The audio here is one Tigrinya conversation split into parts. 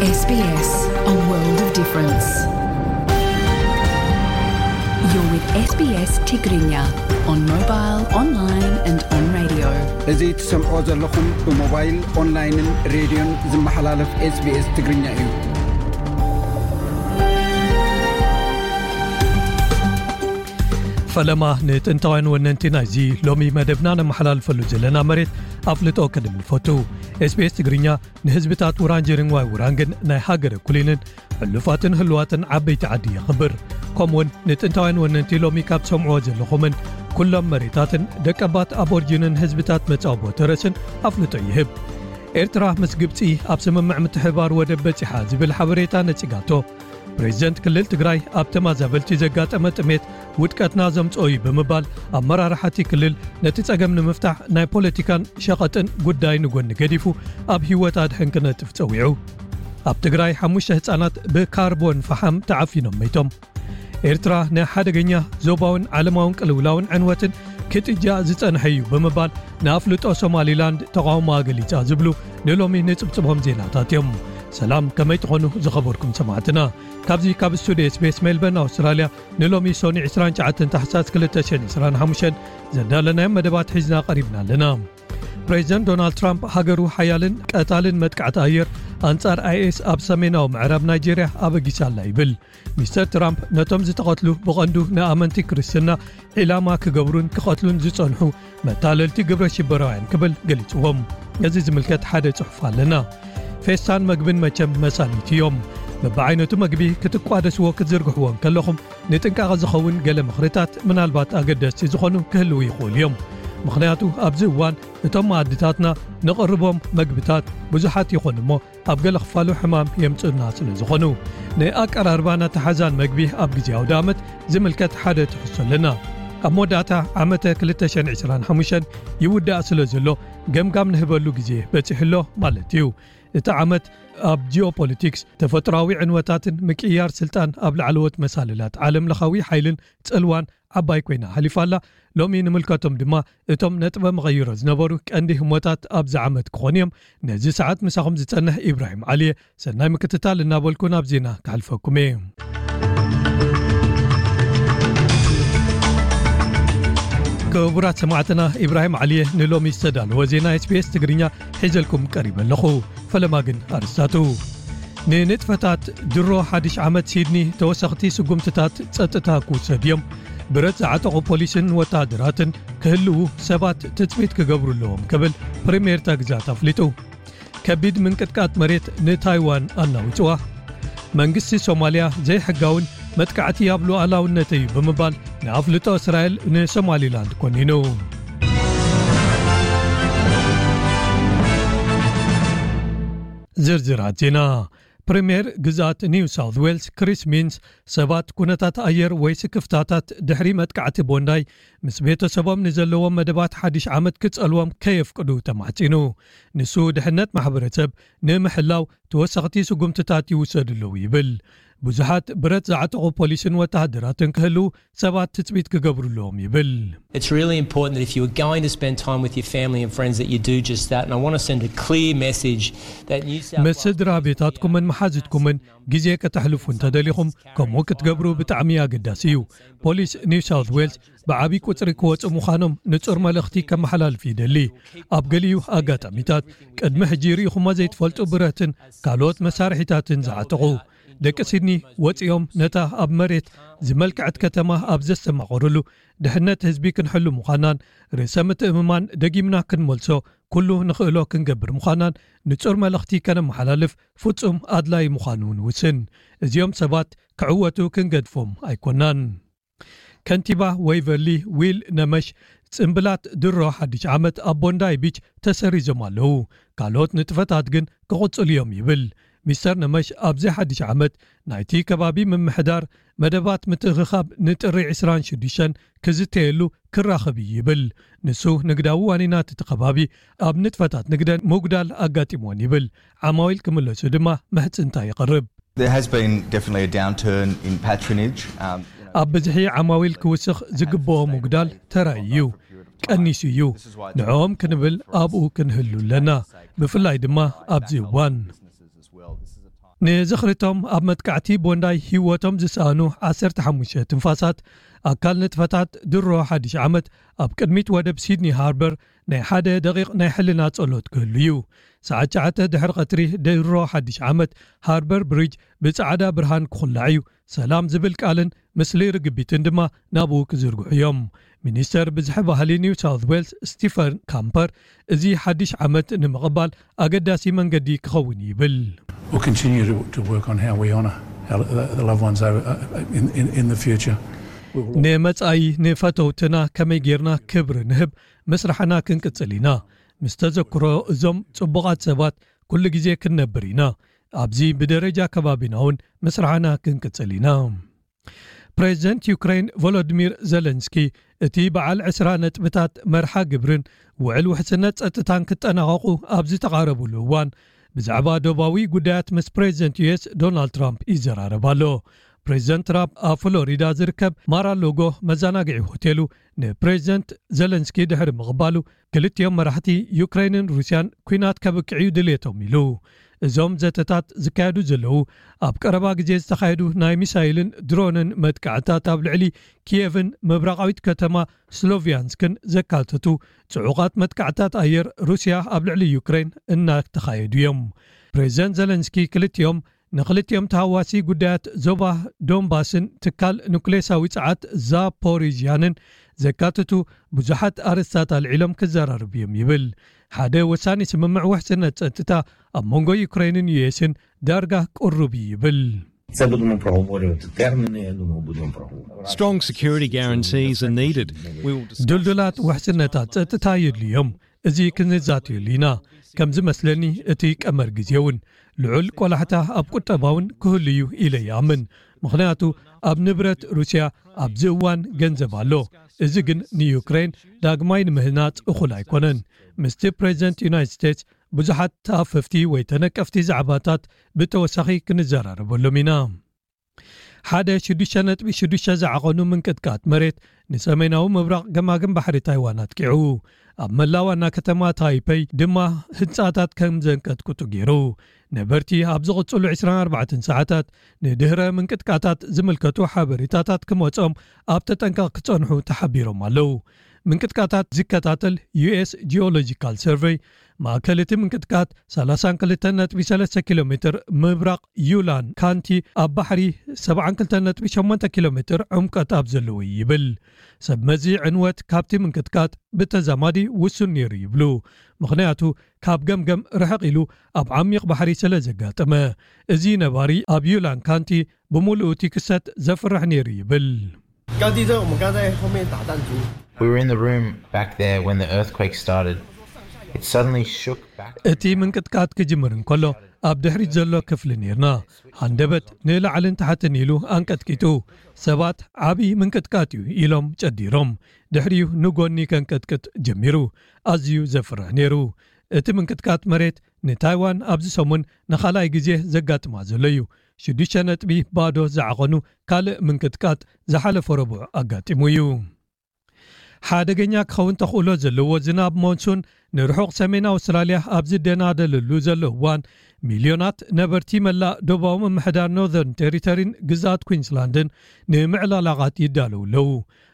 S B S, a world of difference. You're with S B S Tigrinya on mobile, online and on radio. እዚ ትሰምዕዎ ዘለኹም ብሞባይል፣ ኦንላይንን ሬድዮን ዝመሓላለፍ S B S ትግርኛ እዩ። ፈለማ ንጥንታውያን ወነንቲ ናይዚ ሎሚ መደብና ነመሓላልፈሉ ዘለና መሬት ኣፍልጦ ከድም ንፈቱ። S B S ትግርኛ ንህዝብታት ውራንጀሪን ዋይ ውራንግን ናይ ሃገረ ኩሊንን ሕሉፋትን ህልዋትን ዓበይቲ ዓዲ የኽብር። ከምኡውን ንጥንታውያን ወነንቲ ሎሚ ካብ ሰምዕዎ ዘለኹምን ኩሎም መሬታትን ደቀባት ኣቦርጂንን ህዝብታት መጻወቦ ተረስን ኣፍልጦ ይህብ። ኤርትራ ምስ ግብጺ ኣብ ስምምዕ ምትሕባር ወደብ በጺሓ ዝብል ሓበሬታ ነጺጋቶ። ፕሬዚደንት ክልል ትግራይ ኣብ ተማዛበልቲ ዘጋጠመ ጥሜት ውድቀትና ዘምጽኦ እዩ ብምባል ኣመራርሓቲ ክልል ነቲ ጸገም ንምፍታሕ ናይ ፖለቲካን ሸቐጥን ጉዳይ ንጎኒ ገዲፉ ኣብ ህይወት ኣድሕን ክነጥፍ ጸዊዑ። ኣብ ትግራይ ሓሙሽተ ህጻናት ብካርቦን ፈሓም ተዓፊኖም መይቶም። ኤርትራ ንሓደገኛ ዞባውን ዓለማውን ቅልውላውን ዕንወትን ክትጃ ዝጸንሐ እዩ ብምባል ንኣፍልጦ ሶማሊላንድ ተቓውሞኣ ገሊጻ ዝብሉ ንሎሚ ንጽብጽቦም ዜናታት እዮም። ሰላም፣ ከመይ ትኾኑ ዝኸበርኩም ሰማዕትና? ካብዚ ካብ ስቱዲዮ S B S ሜልበርን ኣውስትራልያ ንሎሚ ሶኒ ዕስራን ትሽዓተን ታሕሳስ ክልተ ሽሕን ዕስራን ሓሙሽተን ዘዳለናዮም መደባት ሒዝና ቀሪብና ኣለና። ፕሬዚደንት ዶናልድ ትራምፕ ሃገሩ ሓያልን ቀታልን መጥቃዕቲ ኣየር ኣንጻር I S ኣብ ሰሜናዊ ምዕራብ ናይጄርያ ኣበጊሳ ኣላ ይብል። ሚስተር ትራምፕ ነቶም ዝተቐትሉ ብቐንዱ ንኣመንቲ ክርስትና ዒላማ ክገብሩን ክቐትሉን ዝጸንሑ መታለልቲ ግብረ ሽበራውያን ክብል ገሊጽዎም። ነዚ ዝምልከት ሓደ ጽሑፍ ኣለና። ፌስታን መግብን መቸም መሳኒት እዮም። በብዓይነቱ መግቢ ክትቋደስዎ ክትዝርግሕዎ እንከለኹም ንጥንቃቐ ዝኸውን ገለ ምኽርታት ምናልባት ኣገደስቲ ዝኾኑ ክህልዉ ይኽእሉ እዮም። ምኽንያቱ ኣብዚ እዋን እቶም መኣድታትና ንቕርቦም መግብታት ብዙሓት ይኾኑ እሞ ኣብ ገለ ክፋሉ ሕማም የምጽኡና ስለ ዝኾኑ። ንኣቀራርባን ኣተሓሕዛን መግቢ ኣብ ግዜ ኣውደ ኣመት ዝምልከት ሓደ ትሕዝቶ ኣለና። ኣብ መወዳእታ ዓመተ ክልተ ሽሕን ዕስራን ሓሙሽተን ይውዳእ ስለ ዘሎ ገምጋም ንህበሉ ግዜ በጺሑ ኣሎ ማለት እዩ። እቲ ዓመት ኣብ ጂኦፖለቲክስ፣ ተፈጥሮኣዊ ዕንወታትን ምቅይያር ስልጣን ኣብ ላዕለዎት መሳልላት ዓለም ለኻዊ ሓይልን ጽልዋን ዓባይ ኮይና ሓሊፋ ኣላ። ሎሚ ንምልከቶም ድማ እቶም ነጥበ መቐይሮ ዝነበሩ ቀንዲ ህሞታት ኣብዚ ዓመት ክኾኑ እዮም። ነዚ ሰዓት ምሳኹም ዝጸንሕ ኢብራሂም ዓሊየ፣ ሰናይ ምክትታል እናበልኩ ናብ ዜና ክሓልፈኩም እየ። ክቡራት ሰማዕትና፣ ኢብራሂም ዓሊየ ንሎሚ ዝተዳለወ ዜና S B S ትግርኛ ሒዘልኩም ቀሪበ ኣለኹ። ፈለማ ግን ኣርስታቱ። ንንጥፈታት ድሮ ሓድሽ ዓመት ሲድኒ ተወሰኽቲ ስጉምትታት ጸጥታ ክውሰድ እዮም። ብረት ዝዓጠቑ ፖሊስን ወተሃደራትን ክህልዉ ሰባት ትጽቢት ክገብሩ ኣለዎም ክብል ፕሪምየር እታ ግዛት ኣፍሊጡ። ከቢድ ምንቅጥቃጥ መሬት ንታይዋን ኣናዊጽዋ። መንግስቲ ሶማልያ ዘይሕጋውን መጥቃዕቲ ኣብ ሉዓላውነተይ እዩ ብምባል ንኣፍልጦ እስራኤል ንሶማሊላንድ ኮኒኑ። ዝርዝራት ዜና። ፕሪምየር ግዝኣት ኒው ሳውት ዌልስ ክሪስ ሚንስ ሰባት ኩነታት ኣየር ወይ ስክፍታታት ድሕሪ መጥቃዕቲ ቦንዳይ ምስ ቤተሰቦም ንዘለዎም መደባት ሓድሽ ዓመት ክጸልዎም ከየፍቅዱ ተማሕጺኑ። ንሱ ድሕነት ማሕበረሰብ ንምሕላው ተወሰኽቲ ስጉምትታት ይውሰዱ ኣለዉ ይብል። ብዙሓት ብረት ዝዓጠቑ ፖሊስን ወተሃደራትን ክህልዉ ሰባት ትጽቢት ክገብሩ ኣለዎም ይብል። It's really important that if you are going to spend time with your family and friends that you do just that. And I want to send a clear message that New South ምስ Wales ስድራ ቤታትኩምን መሓዝትኩምን ግዜ ከተሕልፉ እንተደሊኹም ከምኡ ክትገብሩ ብጣዕሚ ኣገዳሲ እዩ። ፖሊስ ኒው ሳውት ዌልስ ብዓቢ ቁጽሪ ክወጹ ምዃኖም ንጹር መልእኽቲ ከመሓላልፍ ይደሊ። ኣብ ገሊኡ ኣጋጣሚታት ቅድሚ ሕጂ ርኢኹሞ ዘይትፈልጡ ብረትን ካልኦት መሳርሒታትን ዝዓጠቑ ደቂ ሲድኒ ወጺኦም ነታ ኣብ መሬት ዝመልክዐት ከተማ ኣብ ዘስተማቐሩሉ ድሕነት ህዝቢ ክንሕሉ ምዃናን ርእሰ ምትእምማን ደጊምና ክንመልሶ ኩሉ ንኽእሎ ክንገብር ምዃናን ንጹር መልእኽቲ ከነመሓላልፍ ፍጹም ኣድላይ ምዃኑ ንውስን። እዚኦም ሰባት ክዕወቱ ክንገድፎም ኣይኮናን። ከንቲባ ወይቨርሊ ዊል ነመሽ ጽምብላት ድሮ ሓድሽ ዓመት ኣብ ቦንዳይ ቢች ተሰሪዞም ኣለዉ፣ ካልኦት ንጥፈታት ግን ክቕጽሉ እዮም ይብል። ሚስተር ነመሽ ኣብዚ ሓድሽ ዓመት ናይቲ ከባቢ ምምሕዳር መደባት ምትእኽኻብ ንጥሪ ዕስራን ሽዱሽተን ክዝተየሉ ክራኸብ እዩ ይብል። ንሱ ንግዳዊ ዋኒናት እቲ ከባቢ ኣብ ንጥፈታት ንግደን ምጉዳል ኣጋጢምዎን ይብል። ዓማዊል ክምለሱ ድማ ምሕጽንታ ይቐርብ። There has been definitely a downturn in patronage. Um, you know, ኣብ ብዝሒ ዓማዊል ክውስኽ ዝግብኦ ምጉዳል ተራእዩ እዩ። ቀኒሱ እዩ። ንዕኦም ክንብል ኣብኡ ክንህሉ ኣለና። ብፍላይ ድማ ኣብዚ እዋን። Businesses as well. This is a time ንዝኽርቶም ኣብ መጥቃዕቲ ቦንዳይ ህይወቶም ዝሰኣኑ ዓሰርተ ሓሙሽተ ትንፋሳት ኣካል ንጥፈታት ድሮ ሓድሽ ዓመት ኣብ ቅድሚት ወደብ ሲድኒ ሃርበር ናይ ሓደ ደቂቕ ናይ ሕልና ጸሎት ክህሉ እዩ። ሰዓት ትሽዓተ ድሕሪ ቀትሪ ድሮ ሓድሽ ዓመት ሃርበር ብሪጅ ብጻዕዳ ብርሃን ክኹላዕ እዩ። ሰላም ዝብል ቃልን ምስሊ ርግቢትን ድማ ናብኡ ክዝርግሑ እዮም። ሚኒስተር ብዝሒ ባህሊ ኒው ሳውት ዌልስ ስቲፈን ካምፐር፣ እዚ ሓድሽ ዓመት ንምቕባል ኣገዳሲ መንገዲ ክኸውን ይብል። We'll continue to, to work on how we honour our, the loved ones over, uh, in, in, in the future. ንመጻኢ ንፈተውትና ከመይ ጌርና ክብሪ ንህብ ምስራሕና ክንቅጽል ኢና። ምስ ተዘክሮ እዞም ጽቡቓት ሰባት ኩሉ ግዜ ክንነብር ኢና። ኣብዚ ብደረጃ ከባቢና እውን ምስራሕና ክንቅጽል ኢና። ፕሬዚደንት ዩክሬን ቮሎዲሚር ዘለንስኪ፣ እቲ በዓል ዕስራ ነጥብታት መርሓ ግብርን ውዕል ውሕስነት ጸጥታን ክጠናቐቑ ኣብ ዝተቓረብሉ እዋን፣ ብዛዕባ ዶባዊ ጉዳያት ምስ ፕሬዚደንት ዩኤስ ዶናልድ ትራምፕ ይዘራረብ ኣሎ። ፕሬዚደንት ትራምፕ ኣብ ፍሎሪዳ ዝርከብ ማራሎጎ መዘናግዒ ሆቴሉ ንፕሬዚደንት ዘለንስኪ ድሕሪ ምቕባሉ፣ ክልቲኦም መራሕቲ ዩክሬንን ሩስያን ኲናት ከብቅዕ እዩ ድሌቶም ኢሉ። እዞም ዘተታት ዝካየዱ ዘለዉ፣ ኣብ ቀረባ ግዜ ዝተኻየዱ ናይ ሚሳይልን ድሮንን መጥቃዕታት ኣብ ልዕሊ ኪየቭን ምብራቓዊት ከተማ ስሎቪያንስክን ዘካተቱ ጽዑቓት መጥቃዕታት ኣየር ሩስያ ኣብ ልዕሊ ዩክሬን እናተኻየዱ እዮም። ፕሬዚደንት ዘለንስኪ ክልቲኦም ንክልቲኦም ተሃዋሲ ጉዳያት ዞባ ዶንባስን ትካል ኑክሌሳዊ ጸዓት ዛፖሪዥያንን ዘካትቱ ብዙሓት ኣርእስታት ኣልዒሎም ክዘራረቡ እዮም ይብል። ሓደ ወሳኒ ስምምዕ ውሕስነት ጸጥታ ኣብ መንጎ ዩክሬንን ዩኤስን ዳርጋ ቅሩብ እዩ ይብል። Це будемо проговорювати терміни, я думаю, будемо проговорювати. Strong security guarantees are needed. We will discuss ድልዱላት ውሕስነታት ጸጥታ የድልዮም። እዚ ክንዛትየሉ ኢና። ከም ዝመስለኒ እቲ ቀመር ግዜ እውን ልዑል ቆላሕታ ኣብ ቁጠባ እውን ክህሉ እዩ ኢለ ይኣምን። ምኽንያቱ ኣብ ንብረት ሩስያ ኣብዚ እዋን ገንዘብ ኣሎ። እዚ ግን ንዩክሬን ዳግማይ ንምህናጽ እኹል ኣይኮነን። ምስቲ ፕሬዚደንት ዩናይትድ ስቴትስ ብዙሓት ተኣፈፍቲ ወይ ተነቀፍቲ ዛዕባታት ብተወሳኺ ክንዘራረበሎም ኢና። ሓደ ሽዱሽተ ነጥቢ ሽዱሽተ ዝዓቐኑ ምንቅጥቃጥ መሬት ንሰሜናዊ ምብራቕ ገማግም ባሕሪ ታይዋን ኣጥቂዑ። ኣብ መላእ ዋና ከተማ ታይፐይ ድማ ህንጻታት ከም ዘንቀጥቅጡ ገይሩ። ነበርቲ ኣብ ዝቕጽሉ ዕስራን ኣርባዕተን ሰዓታት ንድህረ ምንቅጥቃታት ዝምልከቱ ሓበሬታታት ክመጾም ኣብ ተጠንቀቕ ክጸንሑ ተሓቢሮም ኣለዉ። ምንቅጥቃታት ዝከታተል ዩኤስ ጂኦሎጂካል ሰርቨይ፣ ማእከል እቲ ምንቅጥቃት ሰላሳን ክልተን ነጥቢ ሰለስተ ኪሎ ሜትር ምብራቕ ዩላን ካንቲ ኣብ ባሕሪ ሰብዓን ክልተን ነጥቢ ሸሞንተ ኪሎ ሜትር ዕምቀት ኣብ ዘለዎ እዩ ይብል። ሰብ መዚ ዕንወት ካብቲ ምንቅጥቃጥ ብተዛማዲ ውሱን ነይሩ ይብሉ። ምኽንያቱ ካብ ገምገም ርሕቕ ኢሉ ኣብ ዓሚቕ ባሕሪ ስለ ዘጋጠመ። እዚ ነባሪ ኣብ ዩላን ካንቲ ብምሉኡ እቲ ክስተት ዘፍርሕ ነይሩ ይብል። 高地震，我们刚在后面打弹珠。 We were in the room back there when the earthquake started. It suddenly shook back. እቲ ምንቅጥቃጥ ክጅምር እንከሎ ኣብ ድሕሪት ዘሎ ክፍሊ ነርና። ሃንደበት ንላዕልን ታሕትን ኢሉ ኣንቀጥቂጡ። ሰባት ዓቢ ምንቅጥቃጥ እዩ ኢሎም ጨዲሮም። ድሕሪኡ ንጎኒ ከንቀጥቅጥ ጀሚሩ። ኣዝዩ ዘፍርሕ ነይሩ። እቲ ምንቅጥቃጥ መሬት ንታይዋን ኣብዚ ሰሙን ንኻልኣይ ግዜ ዘጋጥማ ዘሎ እዩ። ሽዱሽተ ነጥቢ ባዶ ዝዓቐኑ ካልእ ምንቅጥቃጥ ዝሓለፈ ረቡዕ ኣጋጢሙ እዩ። ሓደገኛ ክኸውን ተኽእሎ ዘለዎ ዝናብ ሞንሱን ንርሑቕ ሰሜን ኣውስትራልያ ኣብ ዝደናደለሉ ዘሎ እዋን፣ ሚልዮናት ነበርቲ መላእ ደቡባዊ ምምሕዳር ኖርዘርን ቴሪተሪን ግዝኣት ኩዊንስላንድን ንምዕልቕላቓት ይዳለዉ ኣለዉ።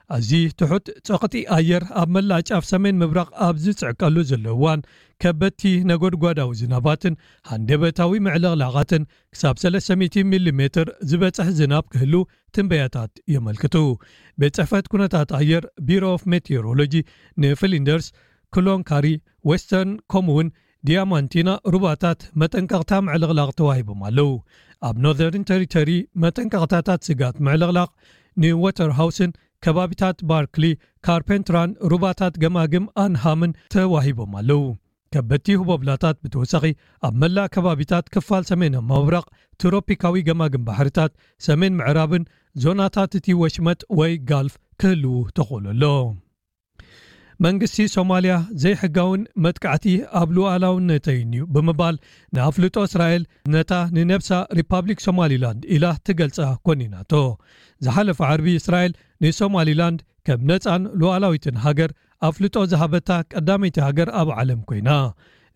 ኣዝዩ ትሑት ጸቕጢ ኣየር ኣብ መላእ ጫፍ ሰሜን ምብራቕ ኣብ ዝጽዕቀሉ ዘሎ እዋን፣ ከበድቲ ነጎድጓዳዊ ዝናባትን ሃንደበታዊ ምዕልቕላቓትን ክሳብ ሰለስተ ሚእቲ ሚሊ ሜትር ዝበጽሕ ዝናብ ክህሉ ትንበያታት የመልክቱ። ቤት ጽሕፈት ኩነታት ኣየር ቢሮ ኦፍ ሜቴዎሮሎጂ ንፍሊንደርስ፣ ክሎንካሪ፣ ዌስተርን ከምኡውን ዲያማንቲና ሩባታት መጠንቀቕታ ምዕልቕላቕ ተዋሂቦም ኣለዉ። ኣብ ኖርዘርን ቴሪተሪ መጠንቀቕታታት ስጋት ምዕልቕላቕ ንወተርሃውስን ከባቢታት ባርክሊ፣ ካርፔንትራን ሩባታት ገማግም ኣንሃምን ተዋሂቦም ኣለዉ። ከበድቲ ህቦብላታት ብተወሳኺ ኣብ መላእ ከባቢታት ክፋል ሰሜን ምብራቕ ትሮፒካዊ ገማግም ባሕርታት ሰሜን ምዕራብን ዞናታት እቲ ወሽመጥ ወይ ጋልፍ ክህልዉ ተኽእሎ ኣሎ። መንግስቲ ሶማልያ ዘይሕጋውን መጥቃዕቲ ኣብ ሉዓላውነተይን እዩ ብምባል ንኣፍልጦ እስራኤል ነታ ንነብሳ ሪፓብሊክ ሶማሊላንድ ኢላ ትገልጻ ኮኒናቶ። ዝሓለፈ ዓርቢ እስራኤል ንሶማሊላንድ ከም ነጻን ሉዓላዊትን ሃገር ኣፍልጦ ዝሃበታ ቀዳመይቲ ሃገር ኣብ ዓለም ኮይና።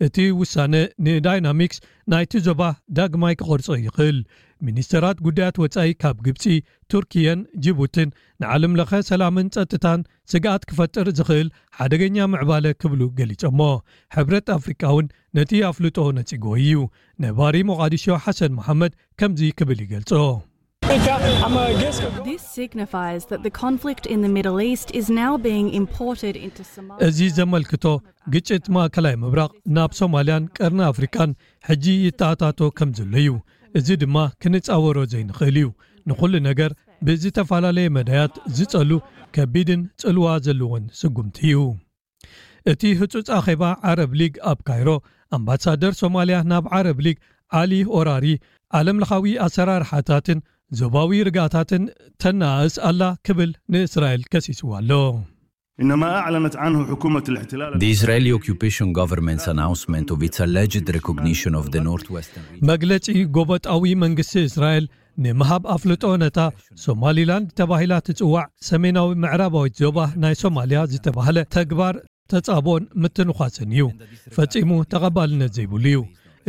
እቲ ውሳነ ንዳይናሚክስ ናይቲ ዞባ ዳግማይ ክቐርጾ ይኽእል። ሚኒስተራት ጉዳያት ወጻኢ ካብ ግብጺ፣ ቱርኪየን ጅቡትን ንዓለም ለኸ ሰላምን ጸጥታን ስግኣት ክፈጥር ዝኽእል ሓደገኛ ምዕባለ ክብሉ ገሊጾሞ። ሕብረት ኣፍሪቃ እውን ነቲ ኣፍልጦ ነጺጎ እዩ። ነባሪ ሞቓዲሾ ሓሰን መሓመድ ከምዚ ክብል ይገልጾ። This signifies that the conflict in the Middle East is now being imported into Somalia. እዚ ዘመልክቶ ግጭት ማእከላይ ምብራቕ ናብ ሶማልያን ቀርኒ ኣፍሪቃን ሕጂ ይተኣታቶ ከም ዘሎ እዩ። እዚ ድማ ክንጻወሮ ዘይንኽእል እዩ። ንኹሉ ነገር ብዝተፈላለየ መዳያት ዝጸሉ ከቢድን ጽልዋ ዘለዎን ስጉምቲ እዩ። እቲ ህጹጽ ኣኼባ ዓረብ ሊግ ኣብ ካይሮ፣ ኣምባሳደር ሶማልያ ናብ ዓረብ ሊግ ዓሊ ኦራሪ፣ ዓለም ለኻዊ ኣሰራርሓታትን ዞባዊ ርግኣታትን ተነኣእስ ኣላ ክብል ንእስራኤል ከሲስዋ ኣሎ። إنما أعلنت عنه حكومة الاحتلال The Israeli occupation government's announcement of its alleged recognition of the northwestern region. መግለጺ ጎበጣዊ መንግስቲ እስራኤል ንምሃብ ኣፍልጦ ነታ ሶማሊላንድ ተባሂላ ትጽዋዕ ሰሜናዊ ምዕራባዊት ዞባ ናይ ሶማልያ ዝተባህለ ተግባር ተጻቦን ምትንዃስን እዩ። ፈጺሙ ተቐባልነት ዘይብሉ እዩ።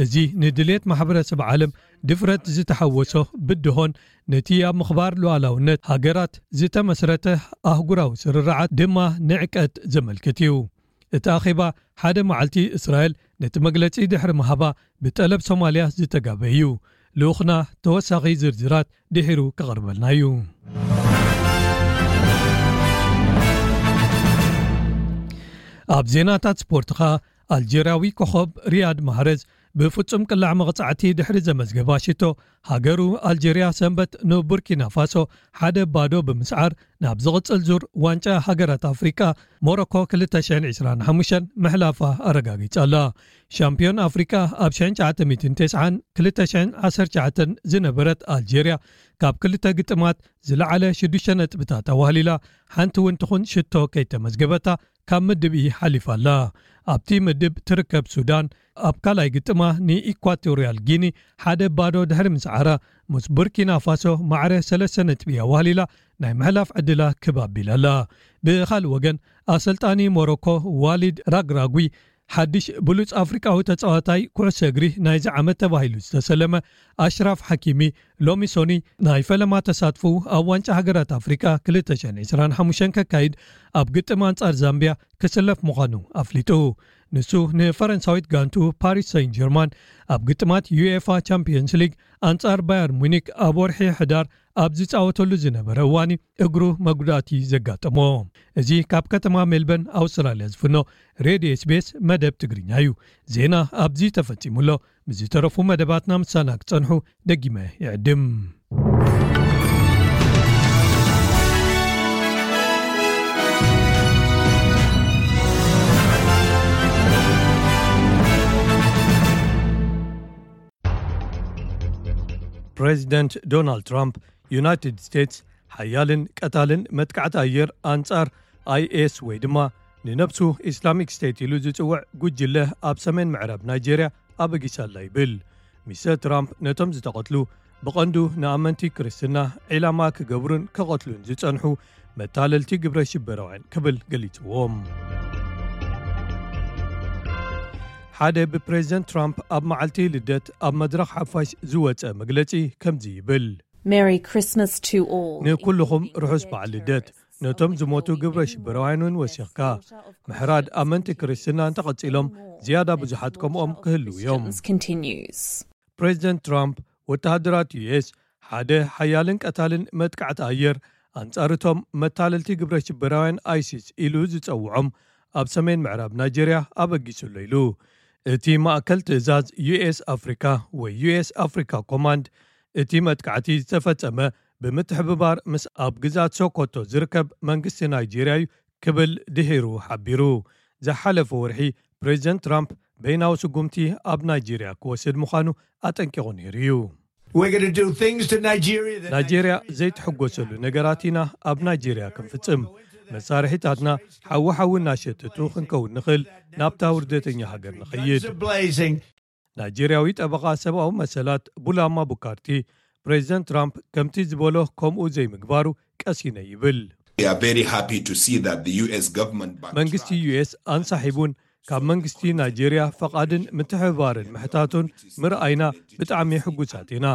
እዚ ንድልየት ማሕበረሰብ ዓለም ድፍረት ዝተሓወሶ ብድሆን ነቲ ኣብ ምኽባር ሉዓላውነት ሃገራት ዝተመስረተ ኣህጉራዊ ስርርዓት ድማ ንዕቀት ዘመልክት እዩ። እቲ ኣኼባ ሓደ መዓልቲ እስራኤል ነቲ መግለጺ ድሕሪ ምሃባ ብጠለብ ሶማልያ ዝተጋበ እዩ። ልኡኽና ተወሳኺ ዝርዝራት ድሒሩ ክቐርበልና እዩ። ኣብ ዜናታት ስፖርት ኸኣ ኣልጀርያዊ ኮኸብ ሪያድ ማህረዝ ብፍጹም ቅላዕ መቕጻዕቲ ድሕሪ ዘመዝገባ ሽቶ ሃገሩ ኣልጀርያ ሰንበት ንቡርኪና ፋሶ ሓደ ባዶ ብምስዓር ናብ ዝቕጽል ዙር ዋንጫ ሃገራት ኣፍሪቃ ሞሮኮ ክልተ ሽሕን ዕስራን ሓሙሽተን ምሕላፋ ኣረጋጊጻ ኣላ። ሻምፒዮን ኣፍሪቃ ኣብ ሽሕን ትሽዓተ ሚእትን ተስዓን ክልተ ሽሕን ዓሰርተ ትሽዓተን ዝነበረት ኣልጀርያ ካብ ክልተ ግጥማት ዝለዓለ ሽዱሽተ ነጥብታት ኣዋህሊላ ሓንቲ እውን ትኹን ሽቶ ከይተመዝገበታ ካብ ምድብ ኢ ሓሊፋ ኣላ። ኣብቲ ምድብ ትርከብ ሱዳን ኣብ ካልኣይ ግጥማ ንኢኳቶርያል ጊኒ ሓደ ባዶ ድሕሪ ምስዓራ ምስ ቡርኪና ፋሶ ማዕረ ሰለስተ ነጥቢ ኣዋህሊላ ናይ ምሕላፍ ዕድላ ክብ ኣቢላ ኣላ። ብኻልእ ወገን ኣሰልጣኒ ሞሮኮ ዋሊድ ራግራጉ ሓድሽ ብሉጽ ኣፍሪቃዊ ተጻዋታይ ኩዕሶ እግሪ ናይዚ ዓመት ተባሂሉ ዝተሰለመ ኣሽራፍ ሓኪሚ ሎሚ ሶኒ ናይ ፈለማ ተሳትፎ ኣብ ዋንጫ ሃገራት ኣፍሪቃ ክልተ ሽሕን ዕስራን ሓሙሽተን ከካይድ ኣብ ግጥም ኣንጻር ዛምቢያ ክስለፍ ምዃኑ ኣፍሊጡ። ንሱ ንፈረንሳዊት ጋንቱ ፓሪስ ሰን ጀርማን ኣብ ግጥማት ዩኤፋ ቻምፒየንስ ሊግ ኣንጻር ባየር ሙኒክ ኣብ ወርሒ ሕዳር ኣብ ዝጻወተሉ ዝነበረ እዋን እግሩ መጉዳእቲ ዘጋጠሞ። እዚ ካብ ከተማ ሜልበርን ኣውስትራልያ ዝፍኖ ሬድዮ ኤስቤስ መደብ ትግርኛ እዩ። ዜና ኣብዚ ተፈጺሙ ኣሎ። ምስ ዝተረፉ መደባትና ምሳና ክጸንሑ ደጊመ ይዕድም። ፕሬዚደንት ዶናልድ ትራምፕ ዩናይትድ ስቴትስ ሓያልን ቀታልን መጥቃዕቲ ኣየር ኣንጻር ኣይኤስ ወይ ድማ ንነብሱ ኢስላሚክ ስቴት ኢሉ ዝጽውዕ ጉጅለ ኣብ ሰሜን ምዕራብ ናይጄርያ ኣበጊሳላ ይብል። ሚስተር ትራምፕ ነቶም ዝተቐትሉ ብቐንዱ ንኣመንቲ ክርስትና ዒላማ ክገብሩን ክቐትሉን ዝጸንሑ መታለልቲ ግብረ ሽበራውያን ክብል ገሊጽዎም። ሓደ ብፕሬዚደንት ትራምፕ ኣብ መዓልቲ ልደት ኣብ መድረኽ ሓፋሽ ዝወጸ መግለጺ ከምዚ ይብል። Merry Christmas to all. ንኩልኹም ርሑስ በዓል ልደት። ነቶም ዝሞቱ ግብረ ሽበራውያን እውን ወሲኽካ ምሕራድ ኣመንቲ ክርስትና እንተቐጺሎም ዝያዳ ብዙሓት ከምኦም ክህልዉ እዮም። Resistance continues. ፕሬዚደንት ትራምፕ ወተሃደራት ዩኤስ ሓደ ሓያልን ቀታልን መጥቃዕቲ ኣየር ኣንጻርቶም መታለልቲ ግብረ ሽበራውያን ኣይሲስ ኢሉ ዝጸውዖም ኣብ ሰሜን ምዕራብ ናይጄርያ ኣበጊሱ ኣሎ ኢሉ። እቲ ማእከል ትእዛዝ ዩኤስ ኣፍሪካ ወይ ዩኤስ ኣፍሪካ ኮማንድ እቲ መጥቃዕቲ ዝተፈጸመ ብምትሕብባር ምስ ኣብ ግዛት ሶኮቶ ዝርከብ መንግስቲ ናይጄርያ እዩ ክብል ድሒሩ ሓቢሩ። ዝሓለፈ ወርሒ ፕሬዚደንት ትራምፕ በይናዊ ስጉምቲ ኣብ ናይጄርያ ክወስድ ምዃኑ ኣጠንቂቑ ነይሩ እዩ። We're going to do things to Nigeria that ናይጄርያ ዘይትሕጎሰሉ ነገራት ኢና ኣብ ናይጄርያ ክንፍጽም። መሳርሒታትና ሓዊ ሓዊ እናሸተቱ ክንከውን ንኽእል፣ ናብታ ውርደተኛ ሃገር ንኸይድ። Blazing. ናይጄርያዊ ጠበቓ ሰብኣዊ መሰላት ቡላማ ቡካርቲ ፕሬዚደንት ትራምፕ ከምቲ ዝበሎ ከምኡ ዘይምግባሩ ቀሲነ ይብል። We are very happy to see that the U S government backtracked. መንግስቲ ዩኤስ ኣንሳሒቡን ካብ መንግስቲ ናይጄርያ ፈቓድን ምትሕብባርን ምሕታቱን ምርኣይና ብጣዕሚ ሕጉሳት ኢና።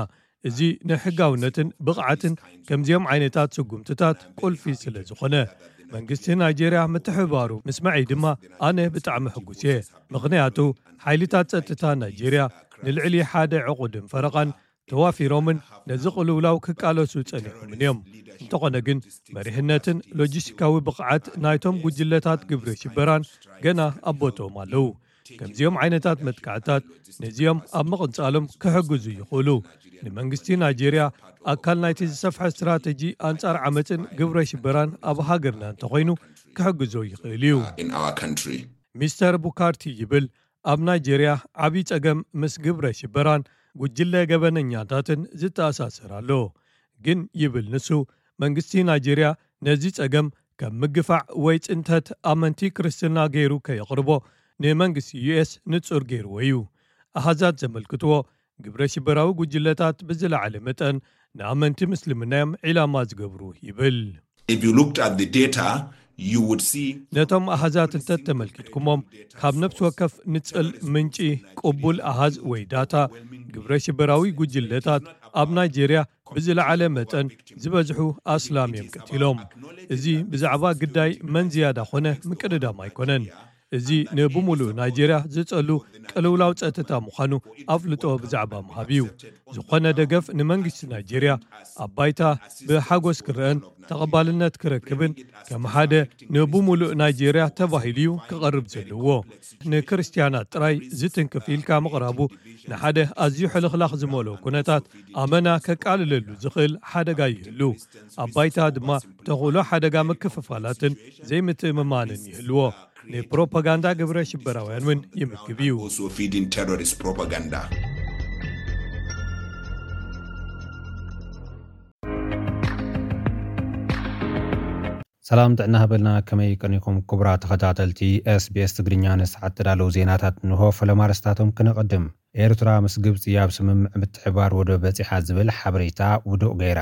እዚ ንሕጋውነትን ብቕዓትን ከምዚኦም ዓይነታት ስጉምትታት ቁልፊ ስለ ዝኾነ፣ መንግስቲ ናይጄርያ ምትሕብባሩ ምስ መዐይ ድማ ኣነ ብጣዕሚ ሕጉስ እየ። ምኽንያቱ ሓይልታት ጸጥታ ናይጄርያ ንልዕሊ ሓደ ዕቑድን ፈረቓን ተዋፊሮምን ነዚ ቅልውላው ክቃለሱ ጸኒሖምን እዮም። እንተኾነ ግን መሪሕነትን ሎጂስቲካዊ ብቕዓት ናይቶም ጉጅለታት ግብረ ሽበራን ገና ኣብ ቦትኦም ኣለዉ። ከምዚኦም ዓይነታት መጥቃዕታት ነዚኦም ኣብ ምቕንጻሎም ክሕግዙ ይኽእሉ። ንመንግስቲ ናይጄርያ ኣካል ናይቲ ዝሰፍሐ ስትራተጂ ኣንጻር ዓመፅን ግብረ ሽበራን ኣብ ሃገርና እንተኾይኑ ክሕግዞ ይኽእል እዩ። in our country. ሚስተር ቡካርቲ ይብል ኣብ ናይጄርያ ዓብዪ ጸገም ምስ ግብረ ሽበራን ጉጅለ ገበነኛታትን ዝተኣሳሰር ኣሎ። ግን ይብል ንሱ፣ መንግስቲ ናይጄርያ ነዚ ጸገም ከም ምግፋዕ ወይ ጽንተት ኣመንቲ ክርስትና ገይሩ ከየቕርቦ ንመንግስቲ ዩ ኤስ ንጹር ገይርዎ እዩ። ኣሃዛት ዘመልክትዎ ግብረ ሽበራዊ ጉጅለታት ብዝለዓለ መጠን ንኣመንቲ ምስልምና እዮም ዒላማ ዝገብሩ ይብል። If you looked at the data, you would see ነቶም ኣሃዛት እንተተመልኪትኩሞም ካብ ነፍሲ ወከፍ ንጽል ምንጪ ቅቡል ኣሃዝ ወይ ዳታ ግብረ ሽበራዊ ጉጅለታት ኣብ ናይጄርያ ብዝለዓለ መጠን ዝበዝሑ ኣስላም እዮም ቀቲሎም። እዚ ብዛዕባ ግዳይ መን ዝያዳ ኾነ ምቅድዳም ኣይኮነን። እዚ ንብምሉእ ናይጄርያ ዝጸሉ ቅልውላው ጸጥታ ምዃኑ ኣፍልጦ ብዛዕባ ምሃብ እዩ። ዝኾነ ደገፍ ንመንግስቲ ናይጄርያ ኣብ ባይታ ብሓጎስ ክረአን ተቐባልነት ክረክብን ከም ሓደ ንብምሉእ ናይጄርያ ተባሂሉ እዩ ክቐርብ ዘለዎ። ንክርስትያናት ጥራይ ዝትንክፍ ኢልካ ምቕራቡ ንሓደ ኣዝዩ ሕልኽላኽ ዝመልኦ ኩነታት ኣመና ከቃልለሉ ዝኽእል ሓደጋ ይህሉ። ኣብ ባይታ ድማ ተኽእሎ ሓደጋ ምክፍፋላትን ዘይምትእምማንን ይህልዎ። ንፕሮፓጋንዳ ግብረ ሽበራውያን እውን ይምግብ እዩ። Also feeding terrorist propaganda. ሰላም ጥዕና ሃበልና። ከመይ ቀኒኹም ክቡራት ተኸታተልቲ ኤስቢኤስ ትግርኛ? ንሰዓት ተዳለዉ ዜናታት እንሆ። ፈለማ ኣርእስታቶም ክነቐድም። ኤርትራ ምስ ግብፂ ኣብ ስምምዕ ምትሕባር ወደብ በፂሓ ዝብል ሓበሬታ ውዱቕ ገይራ።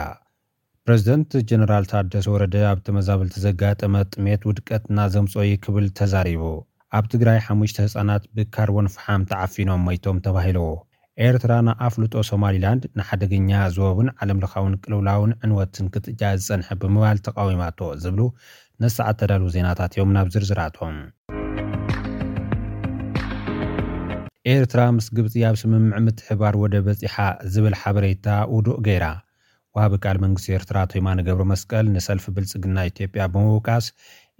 ፕረዚደንት ጀነራል ታደሰ ወረደ ኣብ ተመዛበልቲ ዘጋጠመ ጥሜት ውድቀትና ዘምፅኦ እዩ ክብል ተዛሪቡ። ኣብ ትግራይ ሓሙሽተ ህፃናት ብካርቦን ፈሓም ተዓፊኖም ሞይቶም ተባሂሉ። ኤርትራ ንኣፍልጦ ሶማሊላንድ ንሓደገኛ ዞባውን ዓለምለኻውን ቅልውላውን ዕንወትን ክትእጃ ዝጸንሐ ብምባል ተቓዊማቶ ዝብሉ ነሰዓት ተዳልዉ ዜናታት እዮም። ናብ ዝርዝራቶም። ኤርትራ ምስ ግብጺ ኣብ ስምምዕ ምትሕባር ወደብ በጺሓ ዝብል ሓበሬታ ውዱእ ገይራ። ወሃቢ ቃል መንግስቲ ኤርትራ ኣቶ የማነ ገብረመስቀል ንሰልፊ ብልጽግና ኢትዮጵያ ብምውቃስ፣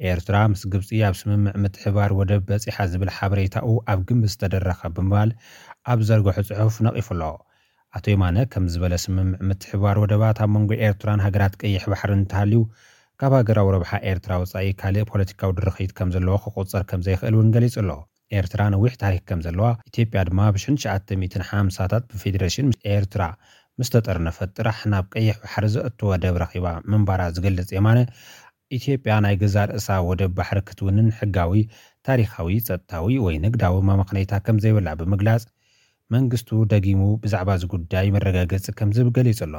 ኤርትራ ምስ ግብጺ ኣብ ስምምዕ ምትሕባር ወደብ በጺሓ ዝብል ሓበሬታኡ ኣብ ግምት ዝተደረኸ ብምባል ኣብ ዘርግሖ ጽሑፍ ነቒፉ ኣሎ። ኣቶ የማነ ከም ዝበለ፣ ስምምዕ ምትሕባር ወደባት ኣብ መንጎ ኤርትራን ሃገራት ቀይሕ ባሕሪ እንተሃልዩ፣ ካብ ሃገራዊ ረብሓ ኤርትራ ወጻኢ ካልእ ፖለቲካዊ ድርኺት ከም ዘለዎ ክቑጸር ከም ዘይኽእል እውን ገሊጹ ኣሎ። ኤርትራ ነዊሕ ታሪኽ ከም ዘለዋ፣ ኢትዮጵያ ድማ ብሽሕን ትሽዓተ ሚእትን ሓምሳታት ብፌዴሬሽን ኤርትራ ምስ ተጠርነፈት ጥራሕ ናብ ቀይሕ ባሕሪ ዘእቱ ወደብ ረኺባ ምንባራ ዝገልጽ የማነ፣ ኢትዮጵያ ናይ ገዛእ ርእሳ ወደብ ባሕሪ ክትውንን ሕጋዊ፣ ታሪኻዊ፣ ጸጥታዊ ወይ ንግዳዊ መመኽነይታ ከም ዘይብላ ብምግላጽ፣ መንግስቱ ደጊሙ ብዛዕባ እዚ ጉዳይ መረጋገጺ ከም ዝህብ ገሊጹ ኣሎ።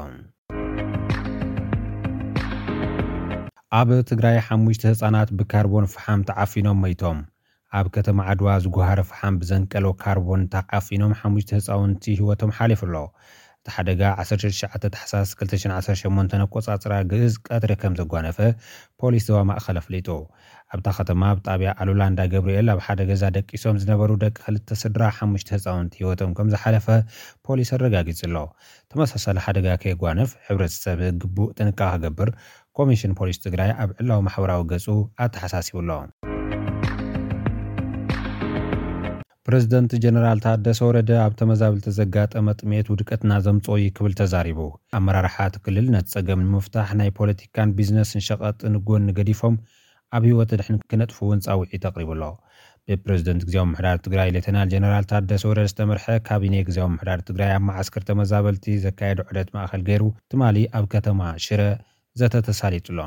ኣብ ትግራይ ሓሙሽተ ህጻናት ብካርቦን ፈሓም ተዓፊኖም ሞይቶም። ኣብ ከተማ ዓድዋ ዝጉሃረ ፈሓም ብዘንቀሎ ካርቦን ተዓፊኖም ሓሙሽተ ህጻውንቲ ህይወቶም ሓሊፉ ኣሎ። እቲ ሓደጋ ዓሰርተ ትሽዓተ ታሕሳስ ክልተ ሽሕን ዓሰርተ ሸሞንተን ኣቆጻጽራ ግእዝ ቀትሪ ከም ዘጓነፈ ፖሊስ ዞባ ማእኸል ኣፍሊጡ። ኣብታ ከተማ ኣብ ጣብያ ኣሉላ እንዳ ገብርኤል ኣብ ሓደ ገዛ ደቂሶም ዝነበሩ ደቂ ክልተ ስድራ ሓሙሽተ ህጻውንቲ ህይወቶም ከም ዝሓለፈ ፖሊስ ኣረጋጊጹ ኣሎ። ተመሳሳሊ ሓደጋ ከየጓንፍ ሕብረተሰብ ግቡእ ጥንቃቐ ክገብር ኮሚሽን ፖሊስ ትግራይ ኣብ ዕላዊ ማሕበራዊ ገጹ ኣተሓሳሲቡ ኣሎ። ፕረዚደንት ጀነራል ታደሰ ወረደ ኣብ ተመዛበልቲ ዘጋጠመ ጥሜት ውድቀትና ዘምጽኦ እዩ ክብል ተዛሪቡ። ኣመራርሓ እቲ ክልል ነቲ ጸገም ንምፍታሕ ናይ ፖለቲካን ቢዝነስን ሸቐጥን ጎኒ ገዲፎም ኣብ ህይወት ድሕን ክነጥፍዎ እውን ጻውዒት ኣቕሪቡ ኣሎ። ብፕረዚደንት ግዝያዊ ምምሕዳር ትግራይ ሌተናል ጀነራል ታደሰ ወረደ ዝተመርሐ ካቢኔ ግዝያዊ ምምሕዳር ትግራይ ኣብ መዓስከር ተመዛበልቲ ዘካየዶ ዑደት ማእኸል ገይሩ ትማሊ ኣብ ከተማ ሽረ ዘተ ተሳሊጡ ኣሎ።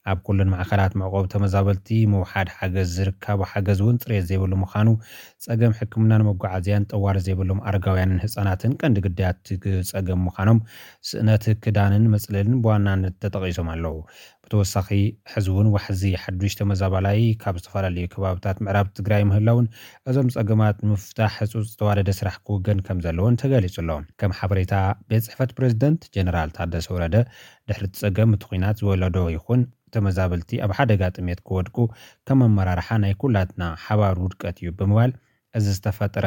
ኣብ ኩለን ማዕኸላት መዕቆቢ ተመዛበልቲ ምውሓድ ሓገዝ፣ ዝርካቡ ሓገዝ እውን ፅሬት ዘይብሉ ምዃኑ፣ ፀገም ሕክምናን መጓዓዝያን፣ ጠዋሪ ዘይብሎም ኣረጋውያንን ህፃናትን ቀንዲ ግዳያት ፀገም ምዃኖም፣ ስእነት ክዳንን መፅለልን ብዋናነት ተጠቒሶም ኣለዉ። ብተወሳኺ፣ ሕዚ እውን ዋሕዚ ሓዱሽ ተመዛባላይ ካብ ዝተፈላለዩ ከባብታት ምዕራብ ትግራይ ምህላውን፣ እዞም ፀገማት ንምፍታሕ ህፁፅ ዝተዋደደ ስራሕ ክውገን ከም ዘለዎን ተገሊጹ ኣሎ። ከም ሓበሬታ ቤት ጽሕፈት ፕሬዝደንት ጀነራል ታደሰ ወረደ፣ ድሕሪ እቲ ጸገም እቲ ኲናት ዝወለዶ ይኹን ተመዛበልቲ ኣብ ሓደጋ ጥሜት ክወድቁ ከም ኣመራርሓ ናይ ኩላትና ሓባር ውድቀት እዩ ብምባል፣ እዚ ዝተፈጥረ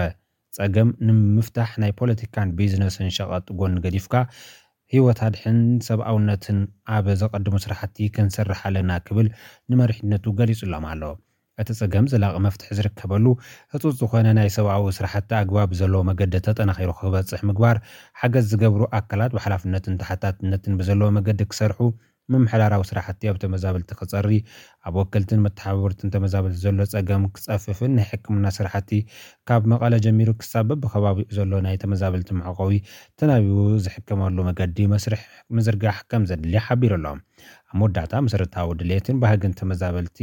ጸገም ንምፍታሕ ናይ ፖለቲካን ቢዝነስን ሸቐጥ ጎኒ ገዲፍካ፣ ህይወት ኣድሕን ሰብኣውነትን ኣብ ዘቐድሙ ስራሕቲ ክንሰርሕ ኣለና ክብል ንመሪሕነቱ ገሊጹሎም ኣሎ። እቲ ጸገም ዘላቒ መፍትሒ ዝርከበሉ፣ ህጹጽ ዝኾነ ናይ ሰብኣዊ ስራሕቲ ኣግባብ ዘለዎ መገዲ ተጠናኺሩ ክበጽሕ ምግባር፣ ሓገዝ ዝገብሩ ኣካላት ብሓላፍነትን ተሓታትነትን ብዘለዎ መገዲ ክሰርሑ፣ ምምሕዳራዊ ስራሕቲ ኣብ ተመዛበልቲ ክጸሪ፣ ኣብ ወከልትን መተሓባበርትን ተመዛበልቲ ዘሎ ጸገም ክጸፍፍን ናይ ሕክምና ስራሕቲ ካብ መቐለ ጀሚሩ ክሳብ በብኸባቢኡ ዘሎ ናይ ተመዛበልቲ መዕቆቢ ተናቢቡ ዝሕከመሉ መገዲ መስርሕ ምዝርጋሕ ከም ዘድሊ ሓቢሩ ኣሎ። ኣብ መወዳእታ፣ መሰረታዊ ድሌትን ባህግን ተመዛበልቲ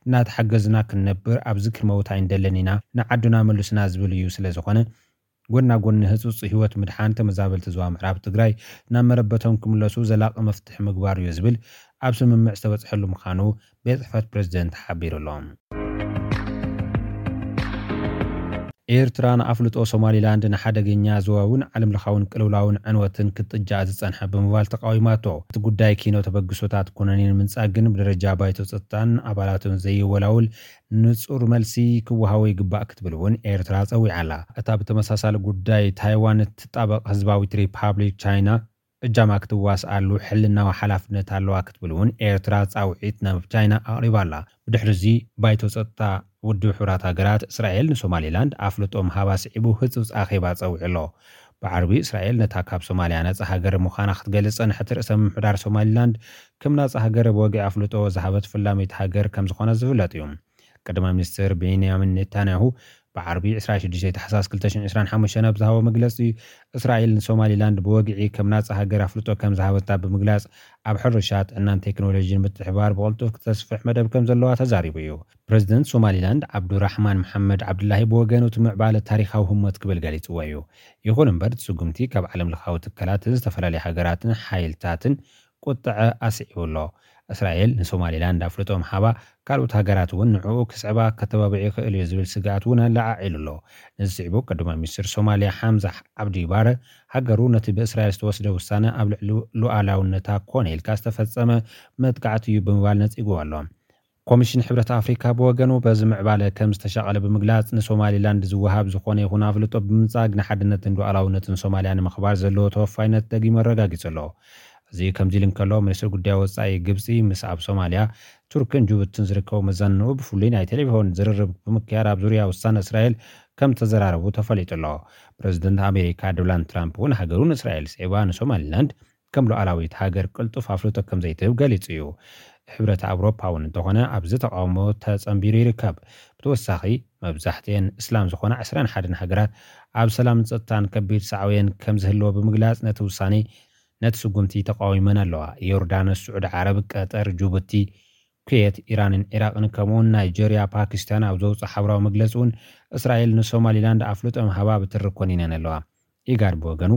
እናተሓገዝና ክንነብር ኣብዚ ክንመውት ኣይንደልን ኢና፣ ንዓድና መልሱና ዝብል እዩ። ስለ ዝኾነ፣ ጎና ጎኒ ህጹጽ ህይወት ምድሓን ተመዛበልቲ ዞባ ምዕራብ ትግራይ ናብ መረበቶም ክምለሱ ዘላቒ መፍትሒ ምግባር እዩ ዝብል ኣብ ስምምዕ ዝተበጽሐሉ ምዃኑ ቤት ጽሕፈት ፕሬዝደንት ሓቢሩ ኣሎ። ኤርትራ ንኣፍልጦ ሶማሊላንድ ንሓደገኛ ዞባውን ዓለምለኻውን ቅልውላውን ዕንወትን ክትጥጃ ዝጸንሐ ብምባል ተቃዊማቶ። እቲ ጉዳይ ኪኖ ተበግሶታት ኩነኔ ንምንጻግ ግን ብደረጃ ባይቶ ጸጥታን ኣባላቱን ዘይወላውል ንጹር መልሲ ክወሃቦ ይግባእ ክትብል እውን ኤርትራ ጸዊዓ ኣላ። እታ ብተመሳሳሊ ጉዳይ ታይዋን እትጣበቕ ህዝባዊት ሪፓብሊክ ቻይና እጃማ ክትዋስኣሉ ሕልናዊ ሓላፍነት ኣለዋ ክትብል እውን ኤርትራ ጻውዒት ናብ ቻይና ኣቕሪባ ኣላ። ብድሕሪ እዚ ባይቶ ጸጥታ ውድብ ሕቡራት ሃገራት እስራኤል ንሶማሊላንድ ኣፍልጦ ምሃባ ስዒቡ ህጹጽ ኣኼባ ጸዊዑ ኣሎ። ብዓርቢ እስራኤል ነታ ካብ ሶማልያ ነጻ ሃገር ምዃና ክትገልጽ ጸንሐት ርእሰ ምምሕዳር ሶማሊላንድ ከም ናጻ ሃገር ብወግዒ ኣፍልጦ ዝሃበት ፈላመይቲ ሃገር ከም ዝኾነ ዝፍለጥ እዩ። ቀዳማይ ሚኒስትር ቤንያሚን ኔታንያሁ ብዓርቢ ዕስራን ሽዱሽተን ታሕሳስ ክልተ ሽሕን ዕስራን ሓሙሽተን ኣብ ዝሃቦ መግለጺ፣ እስራኤል ንሶማሊላንድ ብወግዒ ከም ናጻ ሃገር ኣፍልጦ ከም ዝሃበታ ብምግላጽ፣ ኣብ ሕርሻ፣ ጥዕናን ቴክኖሎጂን ምትሕብባር ብቕልጡፍ ክተስፍሕ መደብ ከም ዘለዋ ተዛሪቡ እዩ። ፕሬዚደንት ሶማሊላንድ ዓብዱራሕማን መሓመድ ዓብዱላሂ ብወገኑ እቲ ምዕባለ ታሪኻዊ ህሞት ክብል ገሊጽዎ እዩ። ይኹን እምበር፣ እቲ ስጉምቲ ካብ ዓለም ለኻዊ ትካላትን ዝተፈላለዩ ሃገራትን ሓይልታትን ቁጥዐ ኣስዒቡ ኣሎ። እስራኤል ንሶማሊላንድ ኣፍልጦ ምሃባ፣ ካልኦት ሃገራት እውን ንዕኡ ክስዕባ ከተባብዕ ይኽእል እዩ ዝብል ስግኣት እውን ኣለዓዒሉ ኣሎ። ነዚ ስዒቡ፣ ቀዳማይ ሚኒስትር ሶማልያ ሓምዛ ዓብዲ ባረ፣ ሃገሩ ነቲ ብእስራኤል ዝተወስደ ውሳነ ኣብ ልዕሊ ሉዓላውነታ ኮነ ኢልካ ዝተፈጸመ መጥቃዕቲ እዩ ብምባል ነጺግዎ ኣሎ። ኮሚሽን ሕብረት ኣፍሪካ ብወገኑ በዚ ምዕባለ ከም ዝተሻቐለ ብምግላጽ፣ ንሶማሊላንድ ዝወሃብ ዝኾነ ይኹን ኣፍልጦ ብምንጻግ ንሓድነትን ሉዓላውነትን ሶማልያ ንምኽባር ዘለዎ ተወፋይነት ደጊሙ ኣረጋጊጹ ኣሎ። እዚ ከምዚ ኢሉ እንከሎ፣ ሚኒስትር ጉዳይ ወጻኢ ግብጺ ምስ ኣብ ሶማልያ፣ ቱርክን ጅቡትን ዝርከቡ መዛንኡ ብፍሉይ ናይ ቴሌፎን ዝርርብ ብምክያድ፣ ኣብ ዙርያ ውሳነ እስራኤል ከም ተዘራረቡ ተፈሊጡ ኣሎ። ፕረዚደንት ኣሜሪካ ዶናልድ ትራምፕ እውን ሃገሩ ንእስራኤል ስዒባ ንሶማሊላንድ ከም ሉዓላዊት ሃገር ቅልጡፍ ኣፍልጦ ከም ዘይትህብ ገሊጹ እዩ። ሕብረት ኣውሮፓ እውን እንተኾነ ኣብዚ ተቃውሞ ተጸንቢሩ ይርከብ። ብተወሳኺ፣ መብዛሕትኤን እስላም ዝኾና ዕስራን ሓደን ሃገራት ኣብ ሰላምን ጸጥታን ከቢድ ሳዕቤን ከም ዝህልዎ ብምግላጽ፣ ነቲ ውሳኔ፣ ነቲ ስጉምቲ ተቃዊመን ኣለዋ። ዮርዳኖስ፣ ስዑዲ ዓረብ፣ ቀጠር፣ ጅቡቲ፣ ኩዌት፣ ኢራንን ዒራቕን፣ ከምኡውን ናይጀርያ፣ ፓኪስታን ኣብ ዘውፅኦ ሓበራዊ መግለፂ እውን፣ እስራኤል ንሶማሊላንድ ኣፍልጦ ምሃባ ብትሪ ኮኒነን ኣለዋ። ኢጋድ ብወገኑ፣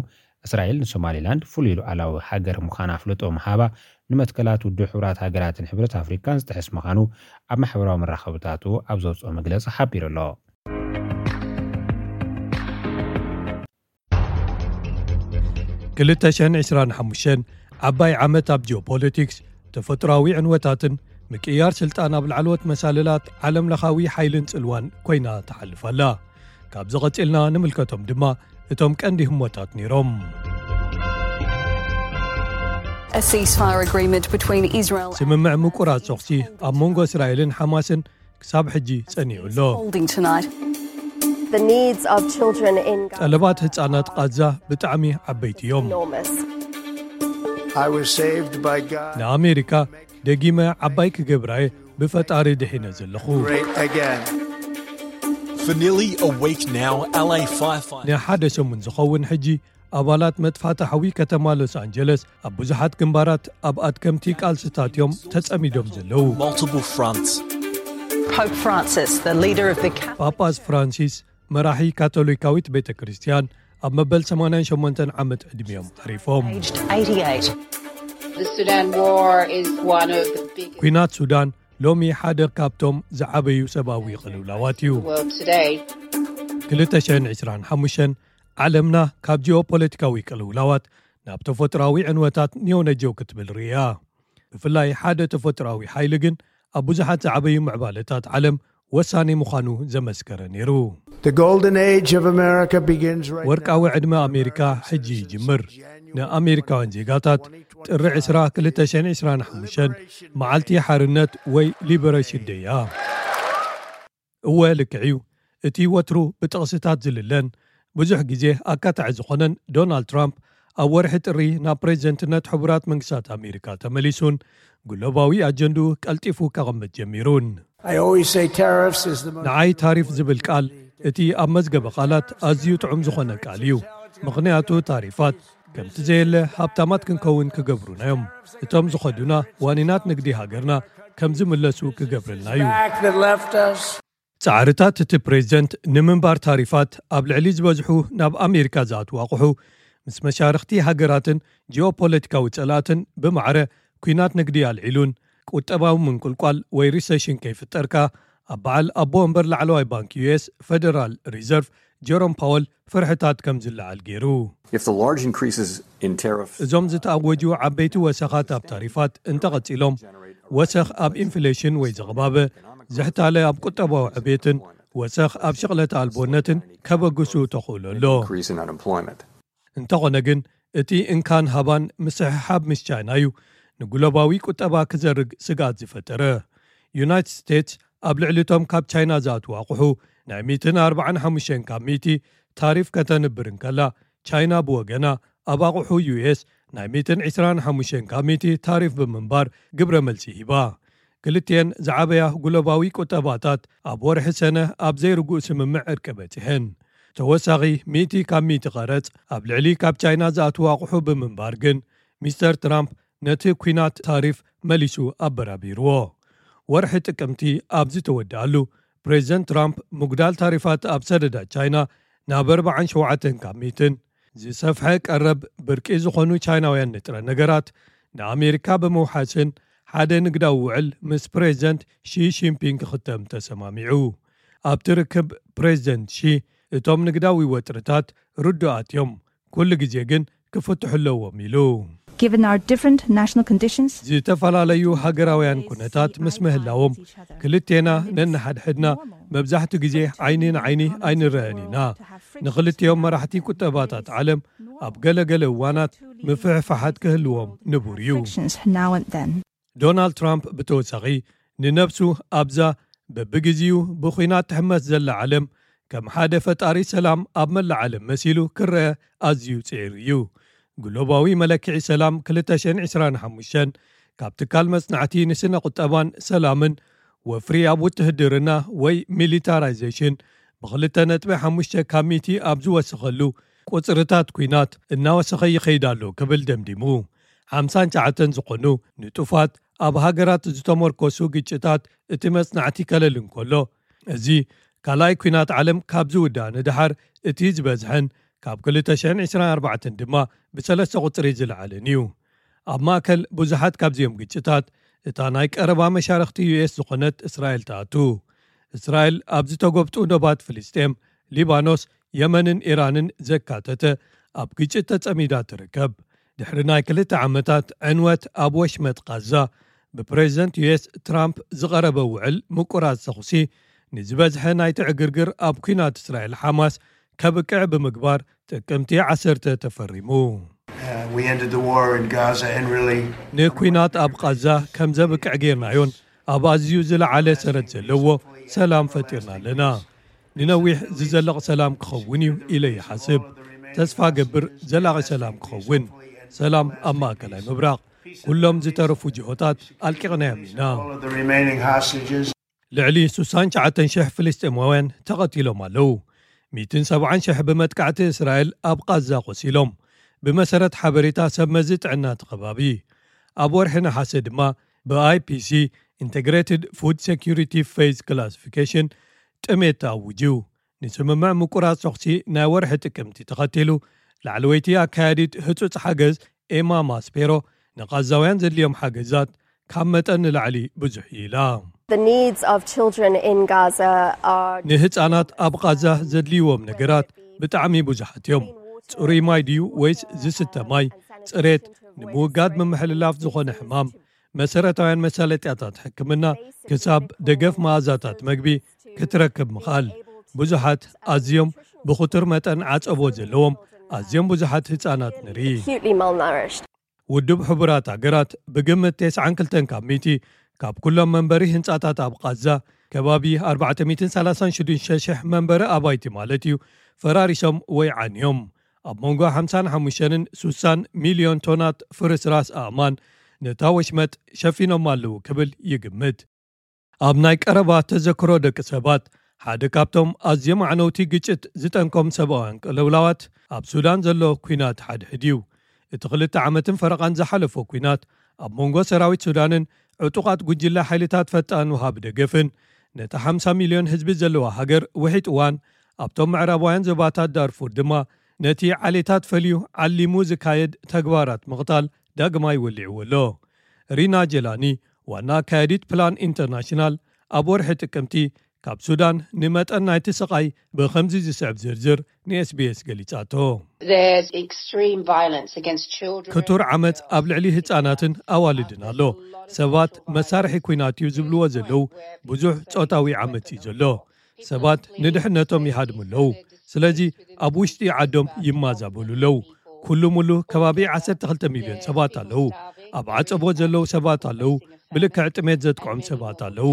እስራኤል ንሶማሊላንድ ፍሉይ ሉዓላዊ ሃገር ምዃና ኣፍልጦ ምሃባ፣ ንመትከላት ውድብ ሕቡራት ሃገራትን ሕብረት ኣፍሪካን ዝጥሕስ ምዃኑ ኣብ ማሕበራዊ መራኸብታቱ ኣብ ዘውፅኦ መግለፂ ሓቢሩ ኣሎ። ክልተ ሽሕን ዕስራን ሓሙሽተን ዓባይ ዓመት ኣብ ጂኦፖለቲክስ፣ ተፈጥሮኣዊ ዕንወታትን ምቅያር ስልጣን ኣብ ላዕለዎት መሳልላት ዓለምለኻዊ ሓይልን ጽልዋን ኮይና ትሓልፍ ኣላ። ካብዚ ቀጺልና ንምልከቶም ድማ እቶም ቀንዲ ህሞታት ነይሮም። A ceasefire agreement between Israel ስምምዕ ምቁራጽ ተኹሲ ኣብ መንጎ እስራኤልን ሓማስን ክሳብ ሕጂ ጸኒዑ ኣሎ። Holding tonight. The needs of children in Gaza ጠለባት ህጻናት ቃዛ ብጣዕሚ ዓበይቲ እዮም። Enormous. I was saved by God. ንኣሜሪካ ደጊመ ዓባይ ክገብራየ ብፈጣሪ ድሒነ ዘለኹ። Great again. For nearly a week now, L A firefighters. ንሓደ ሰሙን ዝኸውን ሕጂ ኣባላት መጥፋእቲ ሓዊ ከተማ ሎስ ኣንጀለስ ኣብ ብዙሓት ግንባራት ኣብ ኣድከምቲ ቃልስታት እዮም ተጸሚዶም ዘለዉ። Multiple fronts. Pope Francis, the leader of the Catholic ጳጳስ ፍራንሲስ መራሒ ካቶሊካዊት ቤተ ክርስቲያን ኣብ መበል ሰማንያን ሸሞንተን ዓመት ዕድሚኦም ዓሪፎም። Aged eighty-eight. The Sudan war is one of the biggest ኲናት ሱዳን ሎሚ ሓደ ካብቶም ዝዓበዩ ሰብኣዊ ቅልውላዋት እዩ። in the world today. ክልተ ሽሕን ዕስራን ሓሙሽተን ዓለምና ካብ ጂኦፖለቲካዊ ቅልውላዋት ናብ ተፈጥሮኣዊ ዕንወታት ኒዮነጀው ክትብል ርእያ። ብፍላይ ሓደ ተፈጥሮኣዊ ሓይሊ ግን ኣብ ብዙሓት ዝዓበዩ ምዕባለታት ዓለም ወሳኒ ምዃኑ ዘመስከረ ነይሩ። The golden age of America begins right ወርቃዊ ዕድመ ኣሜሪካ ሕጂ ይጅምር። ንኣሜሪካውያን ዜጋታት ጥሪ ዕስራ ክልተ ሽሕን ዕስራን ሓሙሽተን መዓልቲ ሓርነት ወይ ሊበሬሽን ደይ እያ። እወ ልክዕ እዩ። እቲ ወትሩ ብጥቕስታት ዝልለን ብዙሕ ግዜ ኣካታዒ ዝኾነን ዶናልድ ትራምፕ ኣብ ወርሒ ጥሪ ናብ ፕሬዝደንትነት ሕቡራት መንግስታት ኣሜሪካ ተመሊሱን ግሎባዊ ኣጀንድኡ ቀልጢፉ ከቐምጥ ጀሚሩን። I always say tariffs is the most ንዓይ ታሪፍ ዝብል ቃል እቲ ኣብ መዝገበ ቃላት ኣዝዩ ጥዑም ዝኾነ ቃል እዩ። ምኽንያቱ ታሪፋት ከምቲ ዘየለ ሃብታማት ክንከውን ክገብሩና እዮም። እቶም ዝኸዱና ዋኒናት ንግዲ ሃገርና ከም ዝምለሱ ክገብርልና እዩ። back that left us. ጻዕርታት እቲ ፕሬዝደንት ንምንባር ታሪፋት ኣብ ልዕሊ ዝበዝሑ ናብ ኣሜሪካ ዝኣትዉ ኣቑሑ ምስ መሻርኽቲ ሃገራትን ጂኦፖለቲካዊ ጸላእትን ብማዕረ ኲናት ንግዲ ኣልዒሉን ቁጠባዊ ምንቁልቋል ወይ ሪሰሽን ከይፍጠርካ ኣብ በዓል ኣቦ ወንበር ላዕለዋይ ባንክ ዩ ኤስ ፌደራል ሪዘርቭ ጀሮም ፓወል ፍርሕታት ከም ዝለዓል ገይሩ። If the large increases in tariffs እዞም ዝተኣወጁ ዓበይቲ ወሰኻት ኣብ ታሪፋት እንተቐጺሎም ወሰኽ ኣብ ኢንፍሌሽን ወይ ዘቕባበ ዝሕታለ ኣብ ቁጠባዊ ዕቤትን ወሰኽ ኣብ ሽቕለተ ኣልቦነትን ከበግሱ ተኽእሎ ኣሎ። increase in unemployment. እንተኾነ ግን እቲ እንካን ሃባን ምስሕሓብ ምስ ቻይና እዩ ንግሎባዊ ቁጠባ ክዘርግ ስግኣት ዝፈጠረ። ዩናይትድ ስቴትስ ኣብ ልዕሊ እቶም ካብ ቻይና ዝኣትዉ ኣቑሑ ናይ ሚእትን ኣርባዓን ሓሙሽተን ካብ ሚእቲ ታሪፍ ከተንብር እንከላ ቻይና ብወገና ኣብ ኣቑሑ ዩ ኤስ ናይ ሚእትን ዕስራን ሓሙሽተን ካብ ሚእቲ ታሪፍ ብምንባር ግብረ መልሲ ሂባ። ክልቲኤን ዝዓበያ ግሎባዊ ቁጠባታት ኣብ ወርሒ ሰነ ኣብ ዘይርጉእ ስምምዕ ዕርቂ በጺሐን። ተወሳኺ ሚእቲ ካብ ሚእቲ ቀረጽ ኣብ ልዕሊ ካብ ቻይና ዝኣትዉ ኣቑሑ ብምንባር ግን ሚስተር ትራምፕ ነቲ ኲናት ታሪፍ መሊሱ ኣበራቢርዎ። ወርሒ ጥቅምቲ ኣብ ዝተወድኣሉ ፕሬዝደንት ትራምፕ ምጉዳል ታሪፋት ኣብ ሰደዳት ቻይና ናብ ኣርባዓን ሸውዓተን ካብ ሚእትን ዝሰፍሐ ቀረብ ብርቂ ዝኾኑ ቻይናውያን ንጥረ ነገራት ንኣሜሪካ ብምውሓስን ሓደ ንግዳዊ ውዕል ምስ ፕሬዝደንት ሺ ሺንፒንግ ክኽተም ተሰማሚዑ። ኣብቲ ርክብ ፕሬዝደንት ሺ እቶም ንግዳዊ ወጥርታት ርዱኣት እዮም፣ ኩሉ ግዜ ግን ክፍትሑ ኣለዎም ኢሉ። Given our different national conditions, ዝተፈላለዩ ሃገራውያን ኩነታት ምስ ምህላዎም ክልቴና ነንሓድሕድና መብዛሕቱ ግዜ ዓይኒ ንዓይኒ ኣይንረአን ኢና። ንኽልቲኦም መራሕቲ ቁጠባታት ዓለም ኣብ ገለገለ እዋናት ምፍሕፋሓት ክህልዎም ንቡር እዩ። frictions now and then. ዶናልድ ትራምፕ ብተወሳኺ ንነብሱ ኣብዛ በብግዜኡ ብኹናት ትሕመስ ዘላ ዓለም ከም ሓደ ፈጣሪ ሰላም ኣብ መላእ ዓለም መሲሉ ክረአ ኣዝዩ ጽዒሩ እዩ። ግሎባዊ መለክዒ ሰላም ክልተ ሽሕን ዕስራን ሓሙሽተን ካብ ትካል መጽናዕቲ ንስነ ቁጠባን ሰላምን ወፍሪ ኣብ ውትህድርና ወይ ሚሊታራይዜሽን ብክልተ ነጥቢ ሓሙሽተ ካብ ሚእቲ ኣብ ዝወሰኸሉ ቁጽርታት ኲናት እናወሰኸ ይኸይድ ኣሎ ክብል ደምዲሙ። ሓምሳን ትሽዓተን ዝኾኑ ንጡፋት ኣብ ሃገራት ዝተመርኮሱ ግጭታት እቲ መጽናዕቲ ከለል እንከሎ፣ እዚ ካልኣይ ኲናት ዓለም ካብ ዝውዳእ ንደሓር እቲ ዝበዝሐን ካብ ክልተ ሽሕን ዕስራን ኣርባዕተን ድማ ብሰለስተ ቁጽሪ ዝለዓለን እዩ። ኣብ ማእከል ብዙሓት ካብዚኦም ግጭታት እታ ናይ ቀረባ መሻርኽቲ ዩ ኤስ ዝኾነት እስራኤል ትኣቱ። እስራኤል ኣብ ዝተጎብጡ ዶባት ፍልስጤም፣ ሊባኖስ፣ የመንን ኢራንን ዘካተተ ኣብ ግጭት ተጸሚዳ ትርከብ። ድሕሪ ናይ ክልተ ዓመታት ዕንወት ኣብ ወሽመጥ ቃዛ ብፕሬዝደንት ዩ ኤስ ትራምፕ ዝቐረበ ውዕል ምቁራጽ ተኹሲ ንዝበዝሐ ናይቲ ዕግርግር ኣብ ኲናት እስራኤል ሓማስ ከብቅዕ ብምግባር ጥቅምቲ ዓሰርተ ተፈሪሙ። Uh, we ended the war in Gaza and really ንኲናት ኣብ ቃዛ ከም ዘብቅዕ ጌርናዮን ኣብ ኣዝዩ ዝለዓለ ሰረት ዘለዎ ሰላም ፈጢርና ኣለና። ንነዊሕ ዝዘለቕ ሰላም ክኸውን እዩ ኢለ ይሓስብ። ተስፋ ገብር ዘላቒ ሰላም ክኸውን። ሰላም ኣብ ማእከላይ ምብራቕ። ኩሎም ዝተረፉ ጅሆታት ኣልቂቕናዮም ኢና። All of the remaining hostages. ልዕሊ ስሳን ትሽዓተን ሽሕ ፍልስጤማውያን ተቐቲሎም ኣለዉ። ሚእትን ሰብዓን ሽሕ ብመጥቃዕቲ እስራኤል ኣብ ቃዛ ቆሲሎም፣ ብመሰረት ሓበሬታ ሰብ መዚ ጥዕና እቲ ከባቢ። ኣብ ወርሒ ነሓሰ ድማ ብ I P C፣ Integrated Food Security Phase Classification፣ ጥሜት ተኣውጅ እዩ። ንስምምዕ ምቁራጽ ተኹሲ ናይ ወርሒ ጥቅምቲ ተኸቲሉ፣ ላዕለወይቲ ኣካያዲት ህጹጽ ሓገዝ ኤማ ማስፔሮ፣ ንቓዛውያን ዘድልዮም ሓገዛት ካብ መጠን ንላዕሊ ብዙሕ እዩ ኢላ። The needs of children in Gaza are ንህጻናት ኣብ ቓዛ ዘድልይዎም ነገራት ብጣዕሚ ብዙሓት እዮም። ጽሩይ ማይ ድዩ ወይስ ዝስተ ማይ? ጽሬት፣ ንምውጋድ ምምሕልላፍ ዝኾነ ሕማም፣ መሰረታውያን መሳለጥያታት ሕክምና፣ ክሳብ ደገፍ መኣዛታት መግቢ ክትረክብ ምኽኣል። ብዙሓት ኣዝዮም ብኽቱር መጠን ዓጸቦ ዘለዎም ኣዝዮም ብዙሓት ህጻናት ንርኢ። Acutely malnourished. ውድብ ሕቡራት ሃገራት ብግምት ተስዓን ክልተን ካብ ሚእቲ ካብ ኩሎም መንበሪ ህንጻታት ኣብ ቓዛ፣ ከባቢ ኣርባዕተ ሚእትን ሰላሳን ሽዱሽተ ሽሕ መንበሪ ኣባይቲ ማለት እዩ፣ ፈራሪሶም ወይ ዓንዮም። ኣብ መንጎ ሓምሳን ሓሙሽተን ስሳን ሚልዮን ቶናት ፍርስራስ ኣእማን ነታ ወሽመጥ ሸፊኖም ኣለዉ ክብል ይግምት። ኣብ ናይ ቀረባ ተዘክሮ ደቂ ሰባት፣ ሓደ ካብቶም ኣዝዮም ኣዕነውቲ ግጭት ዝጠንቆም ሰብኣውያን ቅልውላዋት ኣብ ሱዳን ዘሎ ኲናት ሓድሕድ እዩ። እቲ ክልተ ዓመትን ፈረቓን ዝሓለፎ ኲናት ኣብ መንጎ ሰራዊት ሱዳንን ዕጡቓት ጉጅለ ሓይልታት ፈጣን ውሃቢ ደገፍን ነቲ ሓምሳ ሚልዮን ህዝቢ ዘለዋ ሃገር ውሒጥዋን፣ ኣብቶም ምዕራባውያን ዞባታት ዳርፉር ድማ ነቲ ዓሌታት ፈልዩ ዓሊሙ ዝካየድ ተግባራት ምቕታል ዳግማይ ወሊዕዎ ኣሎ። ሪና ጀላኒ፣ ዋና ኣካያዲት ፕላን ኢንተርናሽናል፣ ኣብ ወርሒ ጥቅምቲ ካብ ሱዳን ንመጠን ናይቲ ስቓይ ብኸምዚ ዝስዕብ ዝርዝር ን S B S ገሊጻቶ። There's extreme violence against children. ክቱር ዓመጽ ኣብ ልዕሊ ህጻናትን ኣዋልድን ኣሎ። ሰባት መሳርሒ ኲናት እዩ ዝብልዎ ዘለዉ ብዙሕ ጾታዊ ዓመጽ እዩ ዘሎ። ሰባት ንድሕነቶም ይሃድሙ ኣለዉ። ስለዚ ኣብ ውሽጢ ዓዶም ይማዛበሉ ኣለዉ። ኩሉ ሙሉ ከባቢ ዓሰርተ ክልተ ሚልዮን ሰባት ኣለዉ። ኣብ ዓጸቦ ዘለዉ ሰባት ኣለዉ። ብልክዕ ጥሜት ዘጥቅዖም ሰባት ኣለዉ።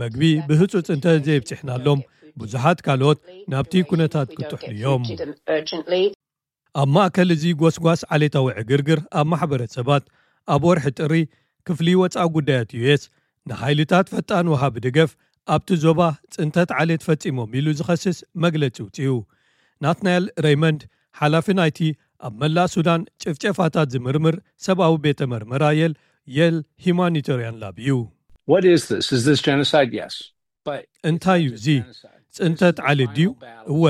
መግቢ ብህጹጽ እንተ ዘይብጽሕናሎም፣ ብዙሓት ካልኦት ናብቲ ኩነታት ክጥሕሉ እዮም። Urgently. ኣብ ማእከል እዚ ጎስጓስ ዓሌታዊ ዕግርግር ኣብ ማሕበረሰባት፣ ኣብ ወርሒ ጥሪ ክፍሊ ወጻኢ ጉዳያት U S ንሓይልታት ፈጣን ወሃቢ ደገፍ ኣብቲ ዞባ ጽንተት ዓሌት ፈጺሞም ኢሉ ዝኸስስ መግለጺ ውጽኡ። ናትናኤል ሬይመንድ፣ ሓላፊ ናይቲ ኣብ መላእ ሱዳን ጭፍጨፋታት ዝምርምር ሰብኣዊ ቤተ መርመራ የል፣ የል ሂማኒታርያን ላብ እዩ። What is this? Is this genocide? Yes. But እንታይ እዩ እዚ? ጽንተት ዓሌት ድዩ? እወ፣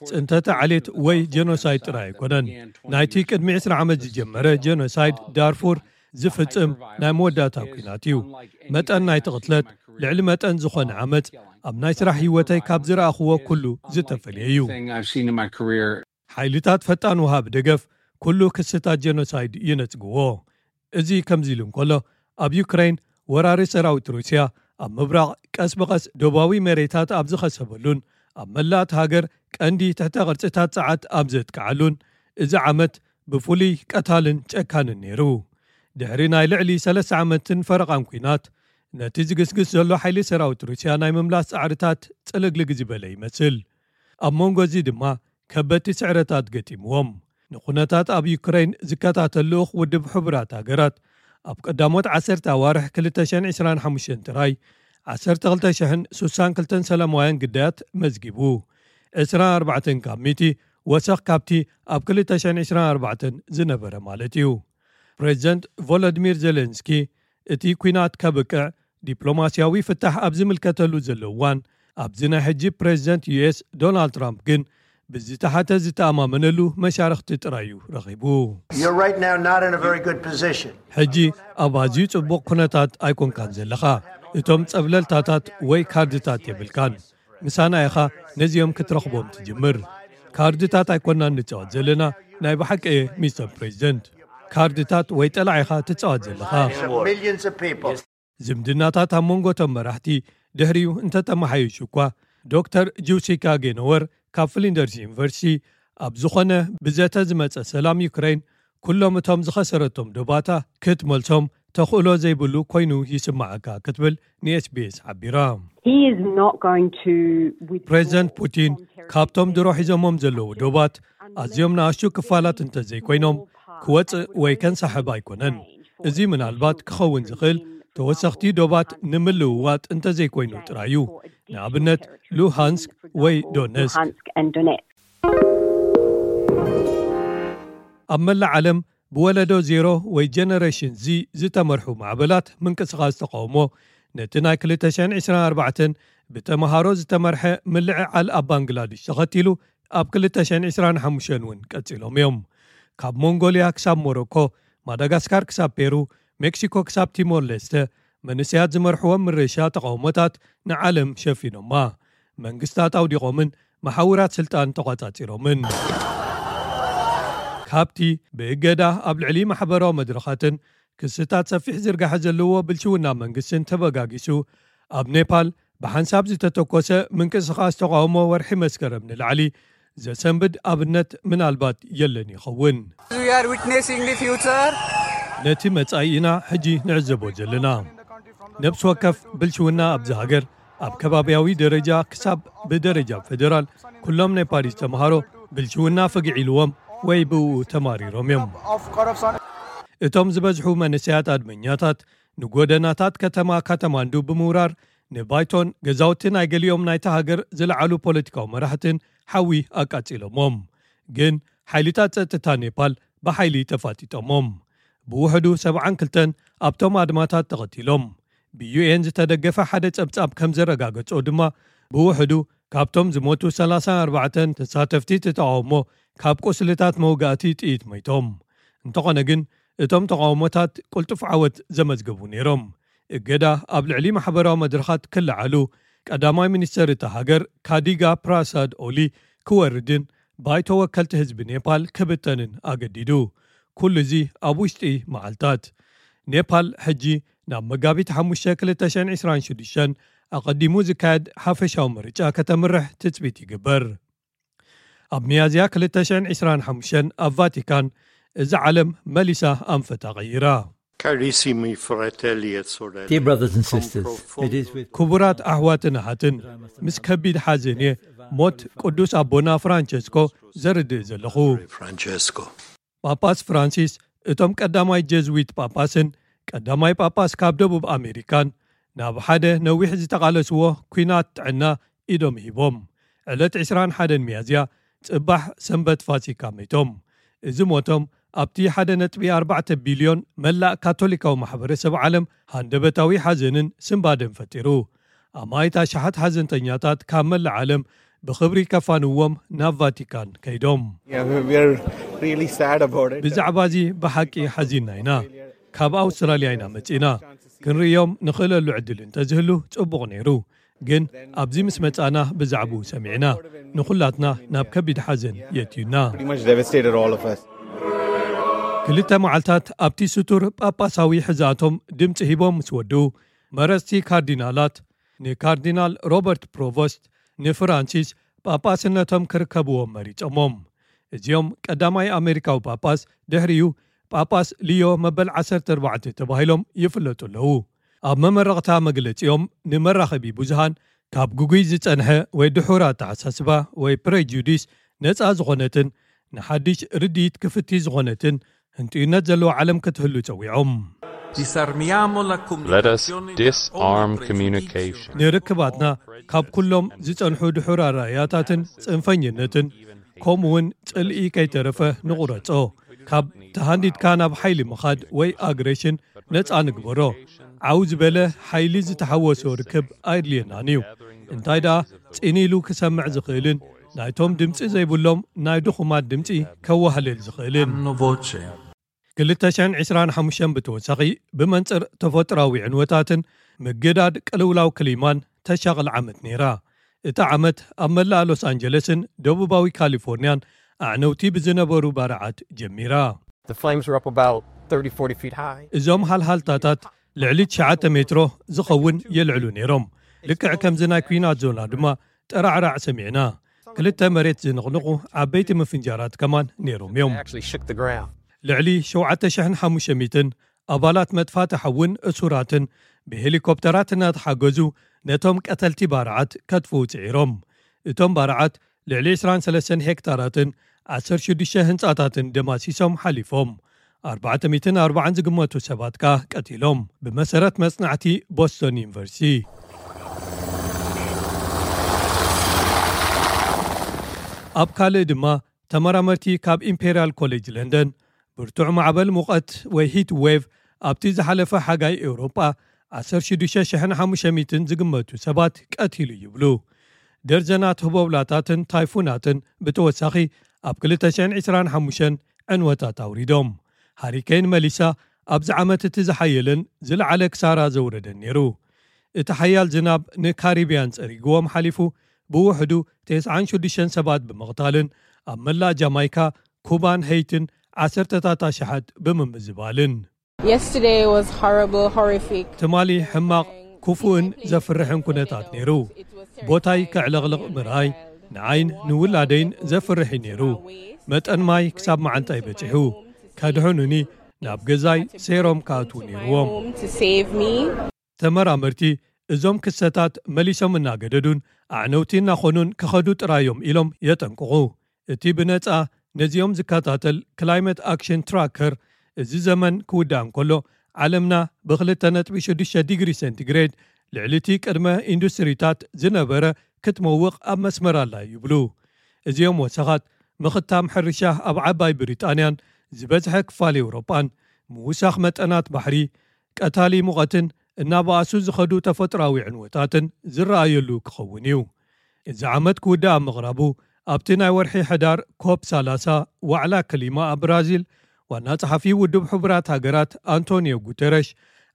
ጽንተተ ዓሌት ወይ ጀኖሳይድ ጥራይ ኣይኮነን። ናይቲ ቅድሚ ዕስራ ዓመት ዝጀመረ ጀኖሳይድ ዳርፉር ዝፍጽም ናይ መወዳእታ ኲናት እዩ። መጠን ናይቲ ቅትለት ልዕሊ መጠን ዝኾነ ዓመጽ ኣብ ናይ ስራሕ ህይወተይ ካብ ዝረኣኽዎ ኩሉ ዝተፈልየ እዩ። Thing I've seen in my career. ሓይልታት ፈጣን ወሃቢ ደገፍ ኩሉ ክስታት ጀኖሳይድ ይነጽግዎ። እዚ ከምዚ ኢሉ እንከሎ፣ ኣብ ዩክሬን ወራሪ ሰራዊት ሩስያ ኣብ ምብራቕ ቀስ ብቐስ ደቡባዊ መሬታት ኣብ ዝኸሰበሉን ኣብ መላእት ሃገር ቀንዲ ትሕተ ቅርጽታት ጸዓት ኣብ ዘጥቅዓሉን፣ እዚ ዓመት ብፍሉይ ቀታልን ጨካንን ነይሩ። ድሕሪ ናይ ልዕሊ ሰለስተ ዓመትን ፈረቓን ኲናት፣ ነቲ ዝግስግስ ዘሎ ሓይሊ ሰራዊት ሩስያ ናይ ምምላስ ጻዕርታት ጽልግልግ ዝበለ ይመስል። ኣብ መንጎ እዚ ድማ ከበድቲ ስዕረታት ገጢምዎም። ንኩነታት ኣብ ዩክሬን ዝከታተል ልኡኽ ውድብ ሕቡራት ሃገራት፣ ኣብ ቀዳሞት ዓሰርተ ኣዋርሕ ክልተ ሽሕን ዕስራን ሓሙሽተን ጥራይ ዓሰርተ ክልተ ሽሕን ስሳን ክልተን ሰላማውያን ግዳያት መዝጊቡ። ዕስራን ኣርባዕተን ካብ ሚእቲ ወሰኽ ካብቲ ኣብ ክልተ ሽሕን ዕስራን ኣርባዕተን ዝነበረ ማለት እዩ። ፕሬዚደንት ቮሎዲሚር ዜሌንስኪ፣ እቲ ኲናት ከብቅዕ ዲፕሎማስያዊ ፍታሕ ኣብ ዝምልከተሉ ዘሎ እዋን፣ ኣብዚ ናይ ሕጂ ፕሬዚደንት U S ዶናልድ ትራምፕ ግን ብዝተሓተ ዝተኣማመነሉ መሻርኽቲ ጥራይ እዩ ረኺቡ። You're right now not in a very good position. ሕጂ ኣብ ኣዝዩ ጽቡቕ ኩነታት ኣይኮንካን ዘለኻ። እቶም ጸብለልታታት ወይ ካርድታት የብልካን። ምሳና ኢኻ ነዚኦም ክትረኽቦም ትጅምር። ካርድታት ኣይኮናን ንጻወት ዘለና፣ ናይ ብሓቂ እየ ሚስተር ፕሬዚደንት። ካርድታት ወይ ጠላዒኻ ትጻወት ዘለኻ። Millions of people. ዝምድናታት ኣብ መንጎ እቶም መራሕቲ ድሕሪኡ እንተተመሓየሹ እኳ፣ ዶክተር ጁሲካ ጌኖወር ካብ ፍሊንደርስ ዩኒቨርሲቲ፣ ኣብ ዝኾነ ብዘተ ዝመጸ ሰላም ዩክሬን ኩሎም እቶም ዝኸሰረቶም ዶባታ ክትመልሶም ተኽእሎ ዘይብሉ ኮይኑ ይስምዓካ ክትብል ን S B S ሓቢራ። He is not going to withdraw ፕሬዚደንት ፑቲን ካብቶም ድሮ ሒዞሞም ዘለዉ ዶባት ኣዝዮም ንኣሽቱ ክፋላት እንተዘይኮይኖም ክወጽእ ወይ ከንሳሕብ ኣይኮነን። እዚ ምናልባት ክኸውን ዝኽእል ተወሰኽቲ ዶባት ንምልውዋጥ እንተዘይኮይኑ ጥራይ እዩ። ንኣብነት ሉሃንስክ ወይ ዶነስክ። ኣብ መላእ ዓለም ብወለዶ ዜሮ ወይ ጀነሬሽን ዚ ዝተመርሑ ማዕበላት ምንቅስቓስ ተቃውሞ ነቲ ናይ ክልተ ሽሕን ዕስራን ኣርባዕተን ብተምሃሮ ዝተመርሐ ምልዕዓል ኣብ ባንግላድሽ ተኸቲሉ ኣብ ክልተ ሽሕን ዕስራን ሓሙሽተን እውን ቀጺሎም እዮም። ካብ ሞንጎልያ ክሳብ ሞሮኮ፣ ማዳጋስካር ክሳብ ፔሩ፣ ሜክሲኮ ክሳብ ቲሞር ሌስተ መንእሰያት ዝመርሕዎም ምርሻ ተቃውሞታት ንዓለም ሸፊኖማ። መንግስታት ኣውዲቖምን መሓውራት ስልጣን ተቋጻጺሮምን። ካብቲ ብእገዳ ኣብ ልዕሊ ማሕበራዊ መድረኻትን ክስታት ሰፊሕ ዝርጋሐ ዘለዎ ብልሽውና መንግስትን ተበጋጊሱ ኣብ ኔፓል ብሓንሳብ ዝተተኮሰ ምንቅስቓስ ተቃውሞ ወርሒ መስከረም ንላዕሊ ዘሰንብድ ኣብነት ምናልባት የለን ይኸውን። We are witnessing the future. ነቲ መጻኢ ኢና ሕጂ ንዕዘቦ ዘለና። ነብሲ ወከፍ ብልሽውና ኣብዚ ሃገር ኣብ ከባብያዊ ደረጃ ክሳብ ብደረጃ ፌደራል ኩሎም ናይ ፓሪስ ተምሃሮ ብልሽውና ፍግዕ ኢልዎም ወይ ብእኡ ተማሪሮም እዮም። እቶም ዝበዝሑ መንእሰያት ኣድመኛታት ንጎደናታት ከተማ ካተማንዱ ብምውራር ንባይቶን ገዛውቲ ናይ ገሊኦም ናይታ ሃገር ዝለዓሉ ፖለቲካዊ መራሕትን ሓዊ ኣቃጺሎሞም። ግን ሓይልታት ጸጥታ ኔፓል ብሓይሊ ተፋጢጦሞም። ብውሕዱ ሰብዓን ክልተን ኣብቶም ኣድማታት ተቐቲሎም። ብዩኤን ዝተደገፈ ሓደ ጸብጻብ ከም ዘረጋገጾ ድማ ብውሕዱ ካብቶም ዝሞቱ ሰላሳን ኣርባዕተን ተሳተፍቲ እቲ ተቃውሞ ካብ ቁስልታት መውጋእቲ ጥይት መይቶም። እንተኾነ ግን እቶም ተቃውሞታት ቅልጡፍ ዓወት ዘመዝገቡ ነይሮም። እገዳ ኣብ ልዕሊ ማሕበራዊ መድረኻት ክለዓሉ ቀዳማይ ሚኒስተር እታ ሃገር ካዲጋ ፕራሳድ ኦሊ ክወርድን ባይቶ ወከልቲ ህዝቢ ኔፓል ክብተንን ኣገዲዱ። ኩሉ እዚ ኣብ ውሽጢ መዓልታት። ኔፓል ሕጂ ናብ መጋቢት ሓሙሽተ ክልተ ሽሕን ዕስራን ሽዱሽተን ኣቐዲሙ ዝካየድ ሓፈሻዊ ምርጫ ከተምርሕ ትጽቢት ይግበር። ኣብ ሚያዝያ ክልተ ሽሕን ዕስራን ሓሙሽተን ኣብ ቫቲካን እዛ ዓለም መሊሳ ኣንፈታ ቀይራ። Carissimi fratelli e sorelle, Dear brothers and con sisters, profondo it is with ክቡራት ኣሕዋትን ኣሓትን፣ ምስ ከቢድ ሓዘን እየ ሞት ቅዱስ ኣቦና ፍራንቸስኮ ዘርድእ ዘለኹ። Francesco. ጳጳስ ፍራንሲስ እቶም ቀዳማይ ጀዝዊት ጳጳስን ቀዳማይ ጳጳስ ካብ ደቡብ ኣሜሪካን ናብ ሓደ ነዊሕ ዝተቓለስዎ ኲናት ጥዕና ኢዶም ሂቦም። ዕለት ዕስራን ሓደን ሚያዝያ ጽባሕ ሰንበት ፋሲካ መይቶም። እዚ ሞቶም ኣብቲ ሓደ ነጥቢ ኣርባዕተ ቢልዮን መላእ ካቶሊካዊ ማሕበረሰብ ዓለም ሃንደበታዊ ሓዘንን ስንባደን ፈጢሩ። ኣማኢት ኣሽሓት ሓዘንተኛታት ካብ መላእ ዓለም ብኽብሪ ከፋንዎም ናብ ቫቲካን ከይዶም። Yeah, we're really sad about it. ብዛዕባ እዚ ብሓቂ ሓዚንና ኢና። ካብ ኣውስትራልያ ኢና መጺእና። ክንርእዮም ንኽእለሉ ዕድል እንተዝህሉ ጽቡቕ ነይሩ። ግን ኣብዚ ምስ መጻና ብዛዕባኡ ሰሚዕና ንኹላትና ናብ ከቢድ ሓዘን የእትዩና። Pretty much devastated all of us. ክልተ መዓልታት ኣብቲ ስቱር ጳጳሳዊ ሕዛቶም ድምፂ ሂቦም ምስ ወድኡ መረፅቲ ካርዲናላት ንካርዲናል ሮበርት ፕሮቮስት ንፍራንሲስ ጳጳስነቶም ክርከብዎም መሪጾሞም። እዚኦም ቀዳማይ ኣሜሪካዊ ጳጳስ ድሕሪኡ ጳጳስ ሊዮ መበል ዓሰርተ ኣርባዕተ ተባሂሎም ይፍለጡ ኣለዉ። ኣብ መመረቕታ መግለጺኦም ንመራኸቢ ብዙሃን ካብ ግጉይ ዝጸንሐ ወይ ድሑር ኣተሓሳስባ ወይ ፕሬጁዲስ ነጻ ዝኾነትን ንሓድሽ ርድኢት ክፍቲ ዝኾነትን ህንጥዩነት ዘለዎ ዓለም ክትህሉ ጸዊዖም። Disarmiamo la Let us comunicazione da disarm ogni communication. ንርክባትና ካብ ኩሎም ዝጸንሑ ድሑር ኣረኣእያታትን ጽንፈኝነትን ከምኡውን ጽልኢ ከይተረፈ ንቑረጾ። ካብ ተሃንዲድካ ናብ ሓይሊ ምኻድ ወይ ኣግሬሽን ነጻ ንግበሮ። ዓው ዝበለ ሓይሊ ዝተሓወሶ ርክብ ኣየድልየናን እዩ። እንታይ ደኣ ጽን ኢሉ ክሰምዕ ዝኽእልን ናይቶም ድምጺ ዘይብሎም ናይ ድኹማት ድምጺ ከዋህልል ዝኽእልን። hanno voce. ክልተ ሽሕን ዕስራን ሓሙሽተን ብተወሳኺ ብመንጽር ተፈጥሮኣዊ ዕንወታትን ምግዳድ ቅልውላው ክሊማን ተሻቕል ዓመት ነይራ። እታ ዓመት ኣብ መላእ ሎስ ኣንጀለስን ደቡባዊ ካሊፎርኒያን ኣዕነውቲ ብዝነበሩ ባርዓት ጀሚራ። The flames were up about thirty, forty feet high. እዞም ሃልሃልታታት ልዕሊ ትሽዓተ ሜትሮ ዝኸውን የልዕሉ ነይሮም። ልክዕ ከምዚ ናይ ኲናት ዞና ድማ ጠራዕራዕ ሰሚዕና። ክልተ መሬት ዝንቕንቑ ዓበይቲ ምፍንጃራት ከማን ነይሮም እዮም። Actually shook the ground. ልዕሊ ሸውዓተ ሽሕን ሓሙሽተ ሚእትን ኣባላት መጥፋእቲ ሓውን እሱራትን ብሄሊኮፕተራት እናተሓገዙ ነቶም ቀተልቲ ባርዓት ከጥፍኡ ጽዒሮም። እቶም ባርዓት ልዕሊ ዕስራን ሰለስተን ሄክታራትን ዓሰርተ ሽዱሽተ ህንጻታትን ደማሲሶም ሓሊፎም። ኣርባዕተ ሚእትን ኣርባዓን ዝግመቱ ሰባት ከኣ ቀቲሎም፣ ብመሰረት መጽናዕቲ ቦስቶን ዩኒቨርሲቲ። ኣብ ካልእ ድማ፣ ተመራመርቲ ካብ ኢምፔርያል ኮሌጅ ለንደን፣ ብርቱዕ ማዕበል ሙቐት ወይ ሂት ዌቭ ኣብቲ ዝሓለፈ ሓጋይ ኤውሮጳ ዓሰርተ ሽዱሽተ ሽሕን ሓሙሽተ ሚእትን ዝግመቱ ሰባት ቀቲሉ ይብሉ። ደርዘናት ህቦብላታትን ታይፉናትን ብተወሳኺ ኣብ ክልተ ሽሕን ዕስራን ሓሙሽተን ዕንወታት ኣውሪዶም። ሃሪኬን መሊሳ ኣብዚ ዓመት እቲ ዝሓየለን ዝለዓለ ክሳራ ዘውረደን ነይሩ። እቲ ሓያል ዝናብ ንካሪብያን ጸሪግዎም ሓሊፉ፣ ብውሕዱ ተስዓን ሽዱሽተን ሰባት ብምቕታልን ኣብ መላእ ጃማይካ፣ ኩባን ሄይትን ዓሰርተታት ኣሽሓት ብምምዝባልን። Yesterday was horrible, horrific. ትማሊ ሕማቕ፣ ክፉእን ዘፍርሕን ኩነታት ነይሩ። ቦታይ ከዕለቕልቕ ምርኣይ ንዓይን ንውላደይን ዘፍርሕ እዩ ነይሩ። መጠን ማይ ክሳብ መዓንጣይ በጺሑ። ከድሕኑኒ ናብ ገዛይ ሴሮም ክኣትዉ ነይርዎም። Home to save me. ተመራመርቲ፣ እዞም ክስተታት መሊሶም እናገደዱን ኣዕነውቲ እናኾኑን ክኸዱ ጥራይ እዮም ኢሎም የጠንቅቑ። እቲ ብነጻ ነዚኦም ዝከታተል ክላይመት ኣክሽን ትራከር፣ እዚ ዘመን ክውዳእ እንከሎ፣ ዓለምና ብ ክልተ ነጥቢ ሽዱሽተ ዲግሪ ሴንቲግሬድ ልዕሊ እቲ ቅድመ ኢንዱስትሪታት ዝነበረ ክትመውቕ ኣብ መስመር ኣላ ይብሉ። እዚኦም ወሰኻት፣ ምኽታም ሕርሻ ኣብ ዓባይ ብሪጣንያን ዝበዝሐ ክፋል ኤውሮጳን፣ ምውሳኽ መጠናት ባሕሪ፣ ቀታሊ ሙቐትን እናበኣሱ ዝኸዱ ተፈጥሮኣዊ ዕንወታትን ዝረኣየሉ ክኸውን እዩ። እዚ ዓመት ክውዳእ ኣብ ምቕራቡ፣ ኣብቲ ናይ ወርሒ ሕዳር ኮፕ ሰላሳ ዋዕላ ክሊማ ኣብ ብራዚል፣ ዋና ጸሓፊ ውድብ ሕቡራት ሃገራት ኣንቶኒዮ ጉተረሽ፣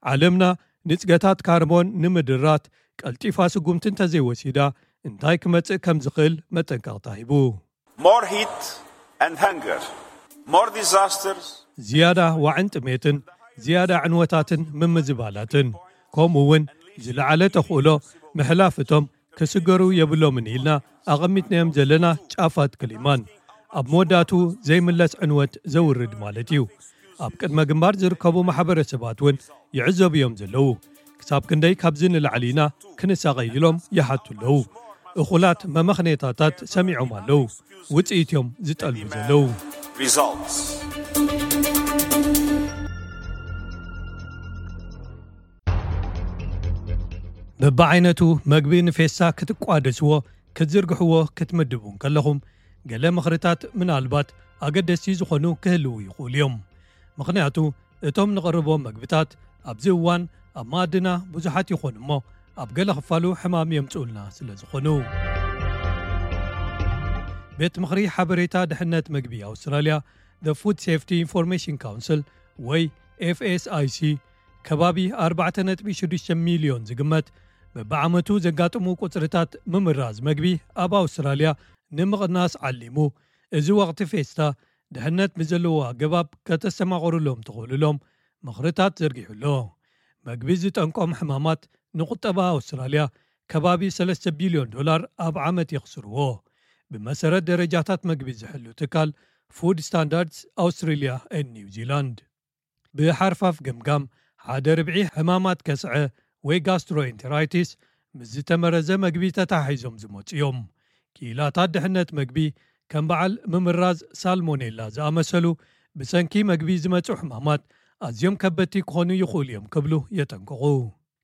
ዓለምና ንጽገታት ካርቦን ንምድራት ቀልጢፋ ስጉምቲ እንተዘይወሲዳ፣ እንታይ ክመጽእ ከም ዝኽእል መጠንቀቕታ ሂቡ። More heat and hunger, more disasters. ዝያዳ ዋዕን ጥሜትን፣ ዝያዳ ዕንወታትን ምምዝባላትን፣ ከምኡ እውን ዝለዓለ ተኽእሎ ምሕላፍ እቶም ክስገሩ የብሎምን ኢልና ኣቐሚጥናዮም ዘለና ጫፋት ክሊማን፣ ኣብ መወዳእቱ ዘይምለስ ዕንወት ዘውርድ ማለት እዩ። ኣብ ቅድመ ግንባር ዝርከቡ ማሕበረሰባት እውን ይዕዘቡ እዮም ዘለዉ። ክሳብ ክንደይ ካብዚ ንላዕሊ ኢና ክንሳቐይ ኢሎም ይሓቱ ኣለዉ። እኹላት መመኽነይታታት ሰሚዖም ኣለዉ። ውጽኢት እዮም ዝጠልቡ ዘለዉ። Results. በብዓይነቱ መግቢ ንፌስታ ክትቋደስዎ፣ ክትዝርግሕዎ፣ ክትምድቡ እንከለኹም፣ ገለ ምኽርታት ምናልባት ኣገደስቲ ዝኾኑ ክህልዉ ይኽእሉ እዮም። ምኽንያቱ፣ እቶም ንቕርቦም መግብታት ኣብዚ እዋን ኣብ መኣድና ብዙሓት ይኾኑ እሞ፣ ኣብ ገለ ክፋሉ ሕማም የምጽኡልና ስለ ዝኾኑ። ቤት ምኽሪ ሓበሬታ ድሕነት መግቢ ኣውስትራልያ፣ The Food Safety Information Council ወይ ኤፍ ኤስ ኣይ ሲ፣ ከባቢ ኣርባዕተ ነጥቢ ሽዱሽተ ሚልዮን ዝግመት በብዓመቱ ዘጋጥሙ ቁጽርታት ምምራዝ መግቢ ኣብ ኣውስትራልያ ንምቕናስ ዓሊሙ፣ እዚ ወቕቲ ፌስታ ድሕነት ብዘለዎ ኣገባብ ከተስተማቕሩሎም ትኽእሉሎም ምኽርታት ዘርጊሑ ኣሎ። መግቢ ዝጠንቆም ሕማማት ንቁጠባ ኣውስትራልያ ከባቢ ሰለስተ ቢልዮን ዶላር ኣብ ዓመት የኽስርዎ፣ ብመሰረት ደረጃታት መግቢ ዝሕሉ ትካል ፉድ ስታንዳርድስ ኣውስትራልያ ኤንድ ኒው ዚላንድ። ብሓርፋፍ ገምጋም፣ ሓደ ርብዒ ሕማማት ከስዐ ወይ ጋስትሮኤንተራይቲስ ምስ ዝተመረዘ መግቢ ተተሓሒዞም ዝመጹ እዮም። ክኢላታት ድሕነት መግቢ፣ ከም በዓል ምምራዝ ሳልሞኔላ ዝኣመሰሉ ብሰንኪ መግቢ ዝመጹ ሕማማት ኣዝዮም ከበድቲ ክኾኑ ይኽእሉ እዮም ክብሉ የጠንቅቑ፣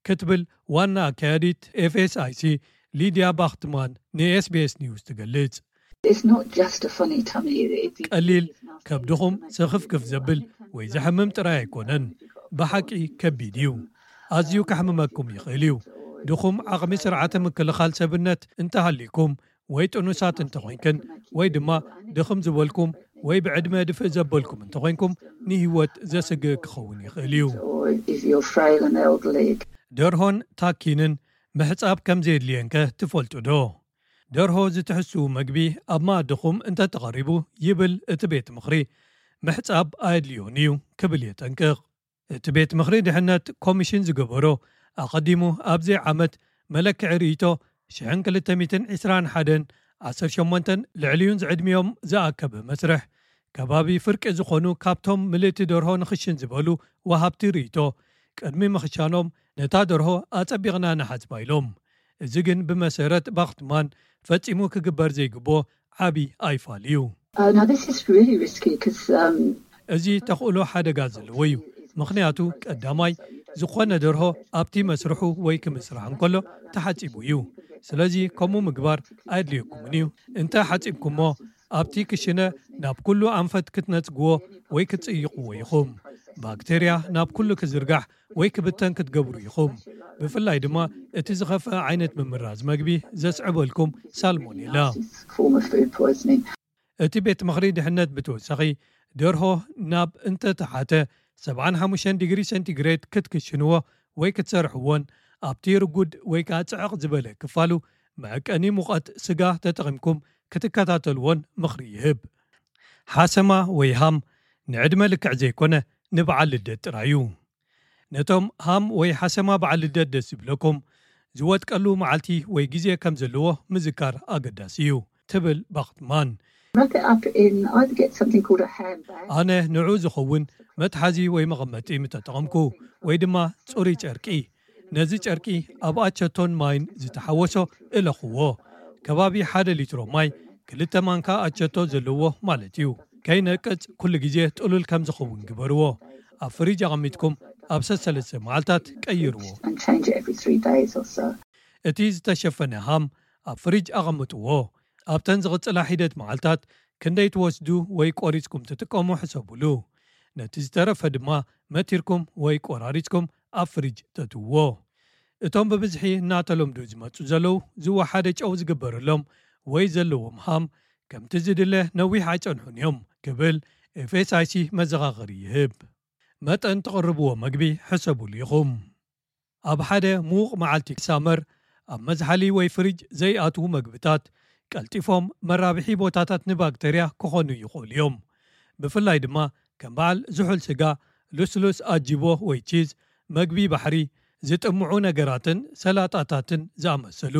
ክትብል ዋና ኣካያዲት ኤፍ ኤስ ኣይ ሲ ሊድያ ባኽትማን ን ኤስ ቢ ኤስ ኒውስ ትገልጽ። It's not just a funny tummy. It- ቀሊል ከብድኹም ስኽፍክፍ ዘብል ወይ ዘሕምም ጥራይ ኣይኮነን። ብሓቂ ከቢድ እዩ። ኣዝዩ ከሕምመኩም ይኽእል እዩ። ድኹም ዓቕሚ ስርዓተ ምክልኻል ሰብነት እንተሃሊኩም ወይ ጥኑሳት እንተኾይንክን ወይ ድማ ድኽም ዝበልኩም ወይ ብዕድመ ድፍእ ዘበልኩም እንተኾይንኩም ንህይወት ዘስግእ ክኸውን ይኽእል እዩ። Or if you're frail and elderly, ደርሆን ታኪንን ምሕጻብ ከም ዘየድልየንከ ትፈልጡ ዶ? ደርሆ ዝትሕስው መግቢ ኣብ መኣድኹም እንተተቐሪቡ ይብል እቲ ቤት ምኽሪ፣ ምሕጻብ ኣየድልዮን እዩ ክብል የጠንቅቕ። እቲ ቤት ምኽሪ ድሕነት ኮሚሽን ዝገበሮ ኣቐዲሙ ኣብዚ ዓመት መለክዒ ርእይቶ ሽሕን ክልተ ሚእትን ዕስራን ሓደን ዓሰርተ ሸሞንተን ልዕሊኡን ዝዕድሚኦም ዝኣከበ መስርሕ ከባቢ ፍርቂ ዝኾኑ ካብቶም ምልእቲ ደርሆ ንኽሽን ዝበሉ ወሃብቲ ርእይቶ ቅድሚ ምኽሻኖም ነታ ደርሆ ኣጸቢቕና ንሓጽባ ኢሎም። እዚ ግን ብመሰረት ባኽትማን ፈጺሙ ክግበር ዘይግብኦ ዓቢ ኣይፋል እዩ። Uh, now this is really risky because um, እዚ ተኽእሎ ሓደጋ ዘለዎ እዩ። ምኽንያቱ ቀዳማይ ዝኾነ ደርሆ ኣብቲ መስርሑ ወይ ክምስራሕ እንከሎ ተሓጺቡ እዩ። ስለዚ ከምኡ ምግባር ኣየድልየኩምን እዩ። እንተ ሓጺብኩሞ ኣብቲ ክሽነ ናብ ኩሉ ኣንፈት ክትነጽግዎ ወይ ክትጽይቕዎ ኢኹም። ባክቴርያ ናብ ኩሉ ክዝርጋሕ ወይ ክብተን ክትገብሩ ኢኹም። ብፍላይ ድማ እቲ ዝኸፍአ ዓይነት ምምራዝ መግቢ ዘስዕበልኩም ሳልሞኔላ። እቲ ቤት ምኽሪ ድሕነት ብተወሳኺ ደርሆ ናብ እንተተሓተ ሰብዓን ሓሙሽተን ዲግሪ ሴንቲግሬድ ክትክሽንዎ ወይ ክትሰርሕዎን ኣብቲ ርጉድ ወይ ከዓ ጽዕቕ ዝበለ ክፋሉ መዐቀኒ ሙቐት ስጋ ተጠቒምኩም ክትከታተልዎን ምኽሪ ይህብ። ሓሰማ ወይ ሃም ንዕድመ ልክዕ ዘይኮነ ንበዓል ልደት ጥራይ እዩ። ነቶም ሃም ወይ ሓሰማ በዓል ልደት ደስ ዝብለኩም ዝወጥቀሉ መዓልቲ ወይ ግዜ ከም ዘለዎ ምዝካር ኣገዳሲ እዩ ትብል ባክትማን። ኣነ ንዑ ዝኸውን መትሓዚ ወይ መቐመጢ ምተጠቐምኩ ወይ ድማ ጽሩይ ጨርቂ፣ ነዚ ጨርቂ ኣብ ኣቸቶን ማይን ዝተሓወሶ እለኽዎ። ከባቢ ሓደ ሊትሮ ማይ ክልተ ማንካ ኣቸቶ ዘለዎ ማለት እዩ። ከይነቅጽ ኩሉ ግዜ ጥሉል ከም ዝኸውን ግበርዎ። ኣብ ፍሪጅ ኣቐሚጥኩም ኣብ ሰሰለስተ መዓልታት ቀይርዎ። እቲ ዝተሸፈነ ሃም ኣብ ፍሪጅ ኣቐምጥዎ። ኣብተን ዝቕጽላ ሒደት መዓልታት ክንደይ ትወስዱ ወይ ቆሪጽኩም ትጥቀሙ ሕሰቡሉ። ነቲ ዝተረፈ ድማ መቲርኩም ወይ ቆራሪጽኩም ኣብ ፍሪጅ ተትውዎ። እቶም ብብዝሒ እናተለምዱ ዝመጹ ዘለዉ ዝወሓደ ጨው ዝግበረሎም ወይ ዘለዎም ሃም ከምቲ ዝድለ ነዊሕ ኣይጸንሑን እዮም ክብል ኤፍኤስኣይሲ መዘኻኸሪ ይህብ። መጠን ትቕርብዎ መግቢ ሕሰቡሉ ኢኹም። ኣብ ሓደ ምዉቕ መዓልቲ ሳመር ኣብ መዝሓሊ ወይ ፍሪጅ ዘይኣትዉ መግብታት ቀልጢፎም መራብሒ ቦታታት ንባክተርያ ክኾኑ ይኽእሉ እዮም። ብፍላይ ድማ ከም በዓል ዝሑል ስጋ፣ ልስሉስ ኣጅቦ ወይ ቺዝ፣ መግቢ ባሕሪ፣ ዝጥምዑ ነገራትን ሰላጣታትን ዝኣመሰሉ።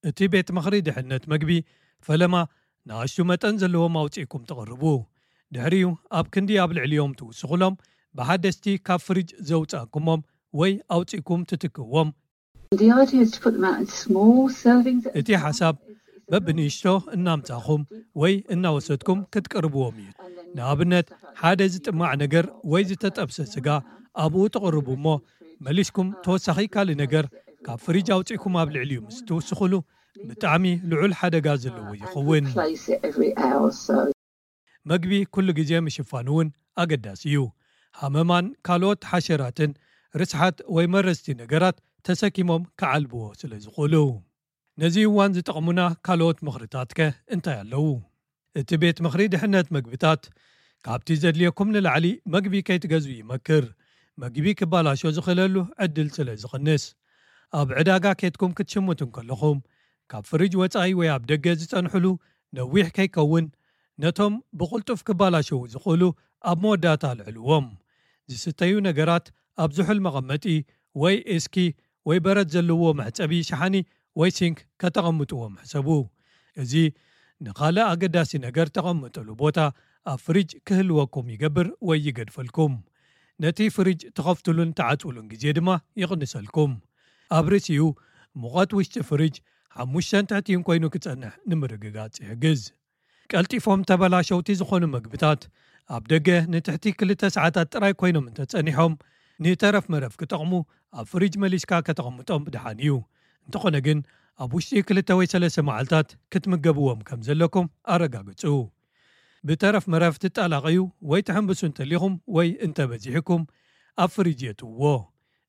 እቲ ቤት ምኽሪ ድሕነት መግቢ ፈለማ ንኣሽቱ መጠን ዘለዎም ኣውጺእኩም ተቕርቡ። ድሕሪኡ ኣብ ክንዲ ኣብ ልዕሊኦም ትውስኹሎም ብሓደስቲ ካብ ፍሪጅ ዘውጻእኩሞም ወይ ኣውጺእኩም ትትክእዎም። እቲ ሓሳብ በብንእሽቶ እናምጻኹም ወይ እናወሰድኩም ክትቅርብዎም እዩ። ንኣብነት ሓደ ዝጥማዕ ነገር ወይ ዝተጠብሰ ስጋ ኣብኡ ተቕርቡ እሞ መሊስኩም ተወሳኺ ካልእ ነገር ካብ ፍሪጅ ኣውጺእኩም ኣብ ልዕሊኡ ምስ ትውስኹሉ ብጣዕሚ ልዑል ሓደጋ ዘለዎ ይኸውን። መግቢ ኩሉ ግዜ ምሽፋን እውን ኣገዳሲ እዩ። ሃመማን ካልኦት ሓሸራትን ርስሓት ወይ መረዝቲ ነገራት ተሰኪሞም ክዓልብዎ ስለ ዝኽእሉ። ነዚ እዋን ዝጠቕሙና ካልኦት ምኽርታትከ እንታይ ኣለዉ? እቲ ቤት ምኽሪ ድሕነት መግብታት ካብቲ ዘድልየኩም ንላዕሊ መግቢ ከይትገዝኡ ይመክር። መግቢ ክባላሾ ዝኽእለሉ ዕድል ስለ ዝቕንስ። ኣብ ዕዳጋ ኬድኩም ክትሽምቱ እንከለኹም ካብ ፍሪጅ ወጻኢ ወይ ኣብ ደገ ዝጸንሕሉ ነዊሕ ከይከውን ነቶም ብቕልጡፍ ክባላሸዉ ዝኽእሉ ኣብ መወዳእታ ኣልዕልዎም። ዝስተዩ ነገራት ኣብ ዝሑል መቐመጢ ወይ እስኪ ወይ በረድ ዘለዎ መሕጸቢ ሸሓኒ ወይ ሲንክ ከተቐምጥዎም ሕሰቡ። እዚ ንኻልእ ኣገዳሲ ነገር ተቐምጥሉ ቦታ ኣብ ፍሪጅ ክህልወኩም ይገብር ወይ ይገድፈልኩም። ነቲ ፍሪጅ ትኸፍትሉን ትዓጽውሉን ግዜ ድማ ይቕንሰልኩም። ኣብ ርእሲኡ ሙቐት ውሽጢ ፍሪጅ ሓሙሽተን ትሕቲን ኮይኑ ክጸንሕ ንምርግጋጽ ይሕግዝ። ቀልጢፎም ተበላሸውቲ ዝኾኑ መግብታት ኣብ ደገ ንትሕቲ ክልተ ሰዓታት ጥራይ ኮይኖም እንተጸኒሖም ንተረፍ መረፍ ክጠቕሙ ኣብ ፍሪጅ መሊስካ ከተቐምጦም ብድሓን እዩ። እንተኾነ ግን ኣብ ውሽጢ ክልተ ወይ ሰለስተ መዓልታት ክትምገብዎም ከም ዘለኩም ኣረጋግጹ። ብተረፍ መረፍ ትጠላቐዩ ወይ ትሕንብሱ እንተሊኹም ወይ እንተበዚሕኩም ኣብ ፍሪጅ የትውዎ።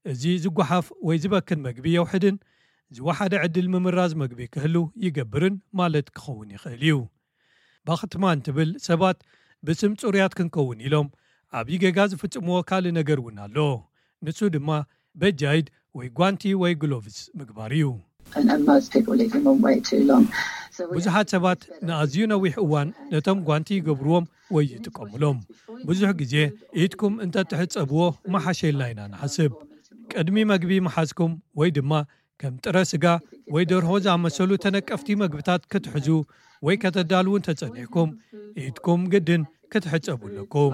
እዚ ዝጓሓፍ ወይ ዝበክን መግቢ የውሕድን ዝወሓደ ዕድል ምምራዝ መግቢ ክህሉ ይገብርን ማለት ክኸውን ይኽእል እዩ። ባኽትማን ትብል ሰባት ብስም ጽሩያት ክንከውን ኢሎም ዓብዪ ጌጋ ዝፍጽምዎ ካልእ ነገር እውን ኣሎ። ንሱ ድማ በጃይድ ወይ ጓንቲ ወይ ግሎቭስ ምግባር እዩ። ብዙሓት ሰባት ንኣዝዩ ነዊሕ እዋን ነቶም ጓንቲ ይገብርዎም ወይ ይጥቀሙሎም። ብዙሕ ግዜ ኢድኩም እንተትሕጸብዎ መሓሸልና ኢና ንሓስብ። ቅድሚ መግቢ ምሓዝኩም ወይ ድማ ከም ጥረ ስጋ ወይ ደርሆ ዝኣመሰሉ ተነቀፍቲ መግብታት ክትሕዙ ወይ ከተዳልዉ እንተጸኒሕኩም ኢድኩም ግድን ክትሕጸቡ ኣለኩም።